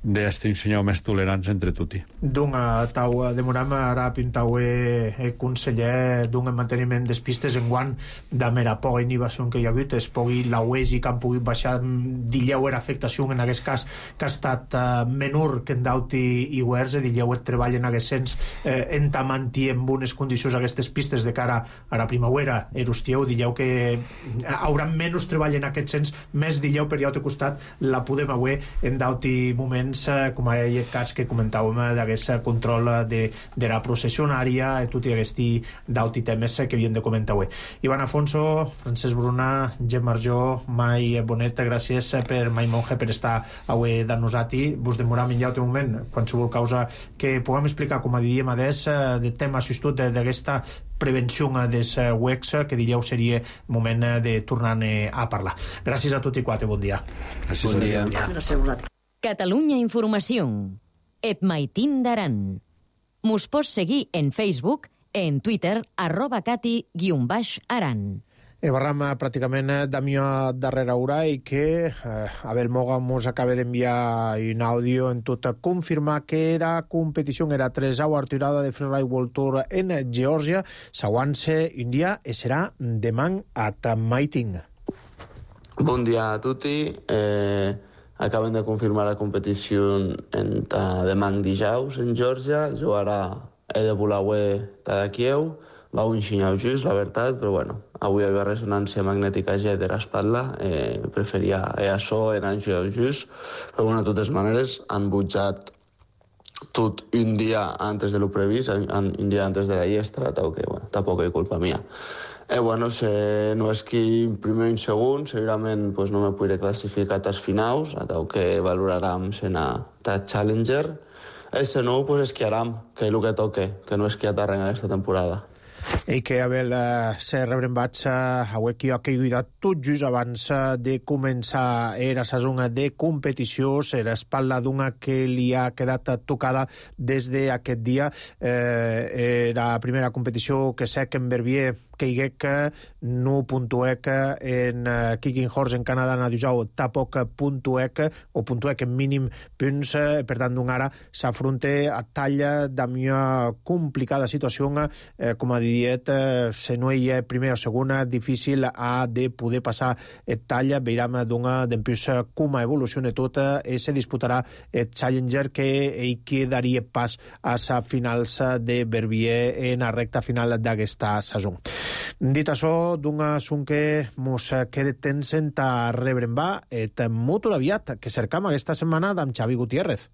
d'este ensenyau més tolerants entre tutti. Dunga tau demoram ara pintau e conseller d'un manteniment des pistes en guant de mera poca inhibició que hi ha hagut, es pugui la U E S I que han pogut baixar dilleu era afectació en aquest cas que ha estat uh, menor que en dauti i guers, dilleu et treball en aquest sens eh, entamantir en bones condicions aquestes pistes de cara a la primavera, erustieu, dilleu que haurà menys treball en aquest sens, més dilleu per l'altre costat la podem avui en dauti moments eh, com el cas que comentàvem d'aquest control de, de la processionària i tot i aquesti dauti temes que havíem de comentar avui. Ivan Afonso, Francesc Bruna, Gemma Arjó, Mai Bonet, gràcies per Mai Monge per estar avui de nosaltres. Vos demoram en l'altre moment, qualsevol causa que puguem explicar, com a diríem adés, de tema assistit d'aquesta prevenció des U E C, que diríeu seria moment de tornar a parlar. Gràcies a tots i quatre, bon dia. Gràcies, bon dia. Gràcies a vosaltres. Catalunya Informació. Et maitin d'aran. Mos pots seguir en Facebook, en Twitter, arroba cati guion baix aran. E barram pràcticament d'amià darrere hora i que eh, Abel Moga mos acaba d'enviar un àudio en tot a confirmar que la competició era tresau arturada de Freeride World Tour en Geòrgia s'aguance un dia i serà demà a Maiting. Bon dia a tutti. Eh, acaben de confirmar la competició en demà dijous en Geòrgia. Jugarà Ede Bulaue de Kiev. Va un xinyau just, la veritat, però bueno, avui hi havia ressonància magnètica ja de l'espatlla, eh, preferia eh, això en un xinyau just, però bueno, de totes maneres han butjat tot un dia antes de lo previst, un dia antes de la llestra, tal que, bueno, tampoc és culpa mia. Eh, bueno, se no és que primer i segon, segurament pues, no me podré classificar als finals, tal que valorarem sena tal Challenger. Eh, se no, pues esquiarem, que és el que toque, que no esquiat arreng aquesta temporada. I que Abel eh, se rebrembats eh, avui que ha caigut tot just abans de començar era saison de competició, serà espatla d'una que li ha quedat tocada des d'aquest dia. Eh, era la primera competició que sé que en Verbier que hi que no puntuec en uh, Kicking Horse en Canadà na dijau tampoc puntuec o puntuec en mínim punts, eh, per tant d'un ara s'afronta a talla d'una complicada situació eh, com a diet, eh, se no hi ha primera o segona, difícil ha de poder passar et talla, veiram d'una d'empús com evoluciona tota i se disputarà el Challenger que hi quedaria pas a sa finals de Verbier en la recta final d'aquesta saison. Dit això, d'un assunt que mos queda temps a rebrembar et molt aviat que cercam aquesta setmana d'en Xavi Gutiérrez.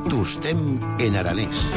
Tostem en aranès.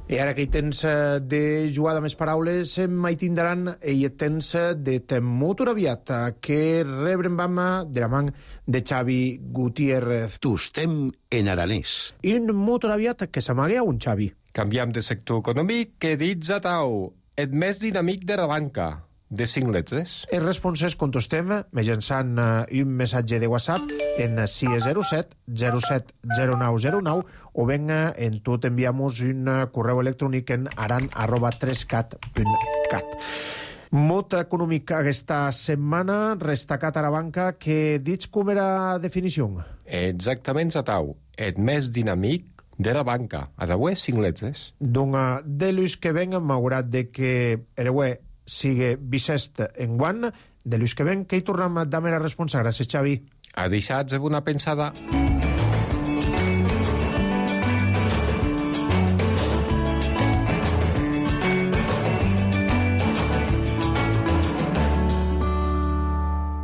I ara que hi tens de jugar de més paraules, mai tindran i hi tens de molt aviat que rebrembam de la man de Xavi Gutiérrez. Tostem en aranès. I un molt aviat que s'amaga un Xavi. Canviam de sector econòmic que dits a tau, et més dinàmic de la banca. De cinc lletres. Els responses contestem mitjançant uh, un missatge de WhatsApp en sis zero set zero set zero nou zero nou o ben uh, en tot enviamos un uh, correu electrònic en aran arroba tres cat punt cat. Mot econòmic aquesta setmana, restacat a la banca, que dits com era definició? Exactament, Zatau. Et més dinàmic de la banca. A d'avui cinc lletres. Doncs de l'ús que ven m'haurat de que ereu sigue Bicest en guant, de l'ús que ven, que hi tornem a dar la responsa. Gràcies, Xavi. A deixats de una pensada.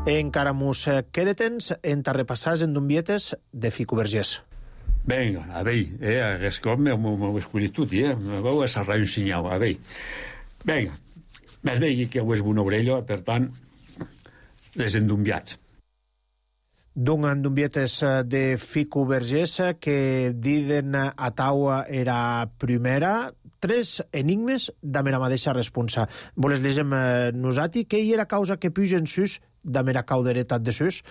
Encara mos queda temps en repassar en dombietes de Fico Vergés. Vinga, a veure, eh, aquest cop m'heu escollit tot, eh? M'heu assarrat un senyal, a veure. Vinga, més bé que ho és una orella, per tant, les endumbiats. D'un endumbiates de Fico Vergés que diden a taua era primera, tres enigmes de mera mateixa responsa. Voles llegem nosati que hi era causa que pugen sus de mera cauderetat de sus.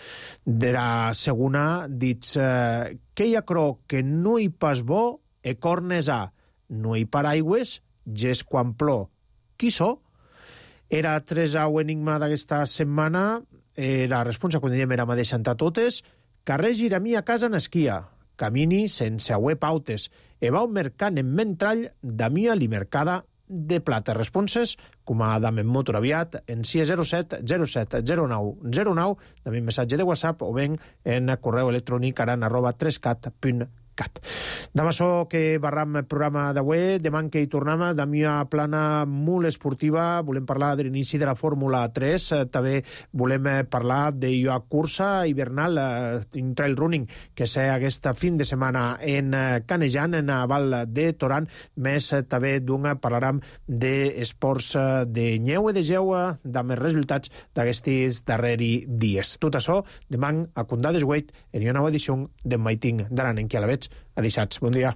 De la segona dits eh, que hi ha cro que no hi pas bo e cornes a, no hi paraigües, ges quan plor. Qui so? Era tres au enigma d'aquesta setmana. Eh, la responsa, quan diem, era mateixa entre totes. Carrer Giramí a casa n'esquia, camini sense auer pautes, e va un mercant en mentrall da mia li mercada de plata. Responses, com a dam en motor aviat, en sis zero set zero set zero nou zero nou, també en missatge de WhatsApp o ben en correu electrònic aran arroba tres cat punt cat. Demà so que barram el programa d'avui, demà que hi tornem de mia plana molt esportiva, volem parlar de l'inici de la Fórmula tres, també volem parlar de la cursa hivernal en trail running que sé aquesta fin de setmana en Canejan, en Val de Toran, més també d'un parlarem d'esports de neu i de geu, de més resultats d'aquests darrers dies. Tot això, demà a Condades Wait, en una nova edició de Maiting d'Aran, en qui a la veig a deixats. Bon dia.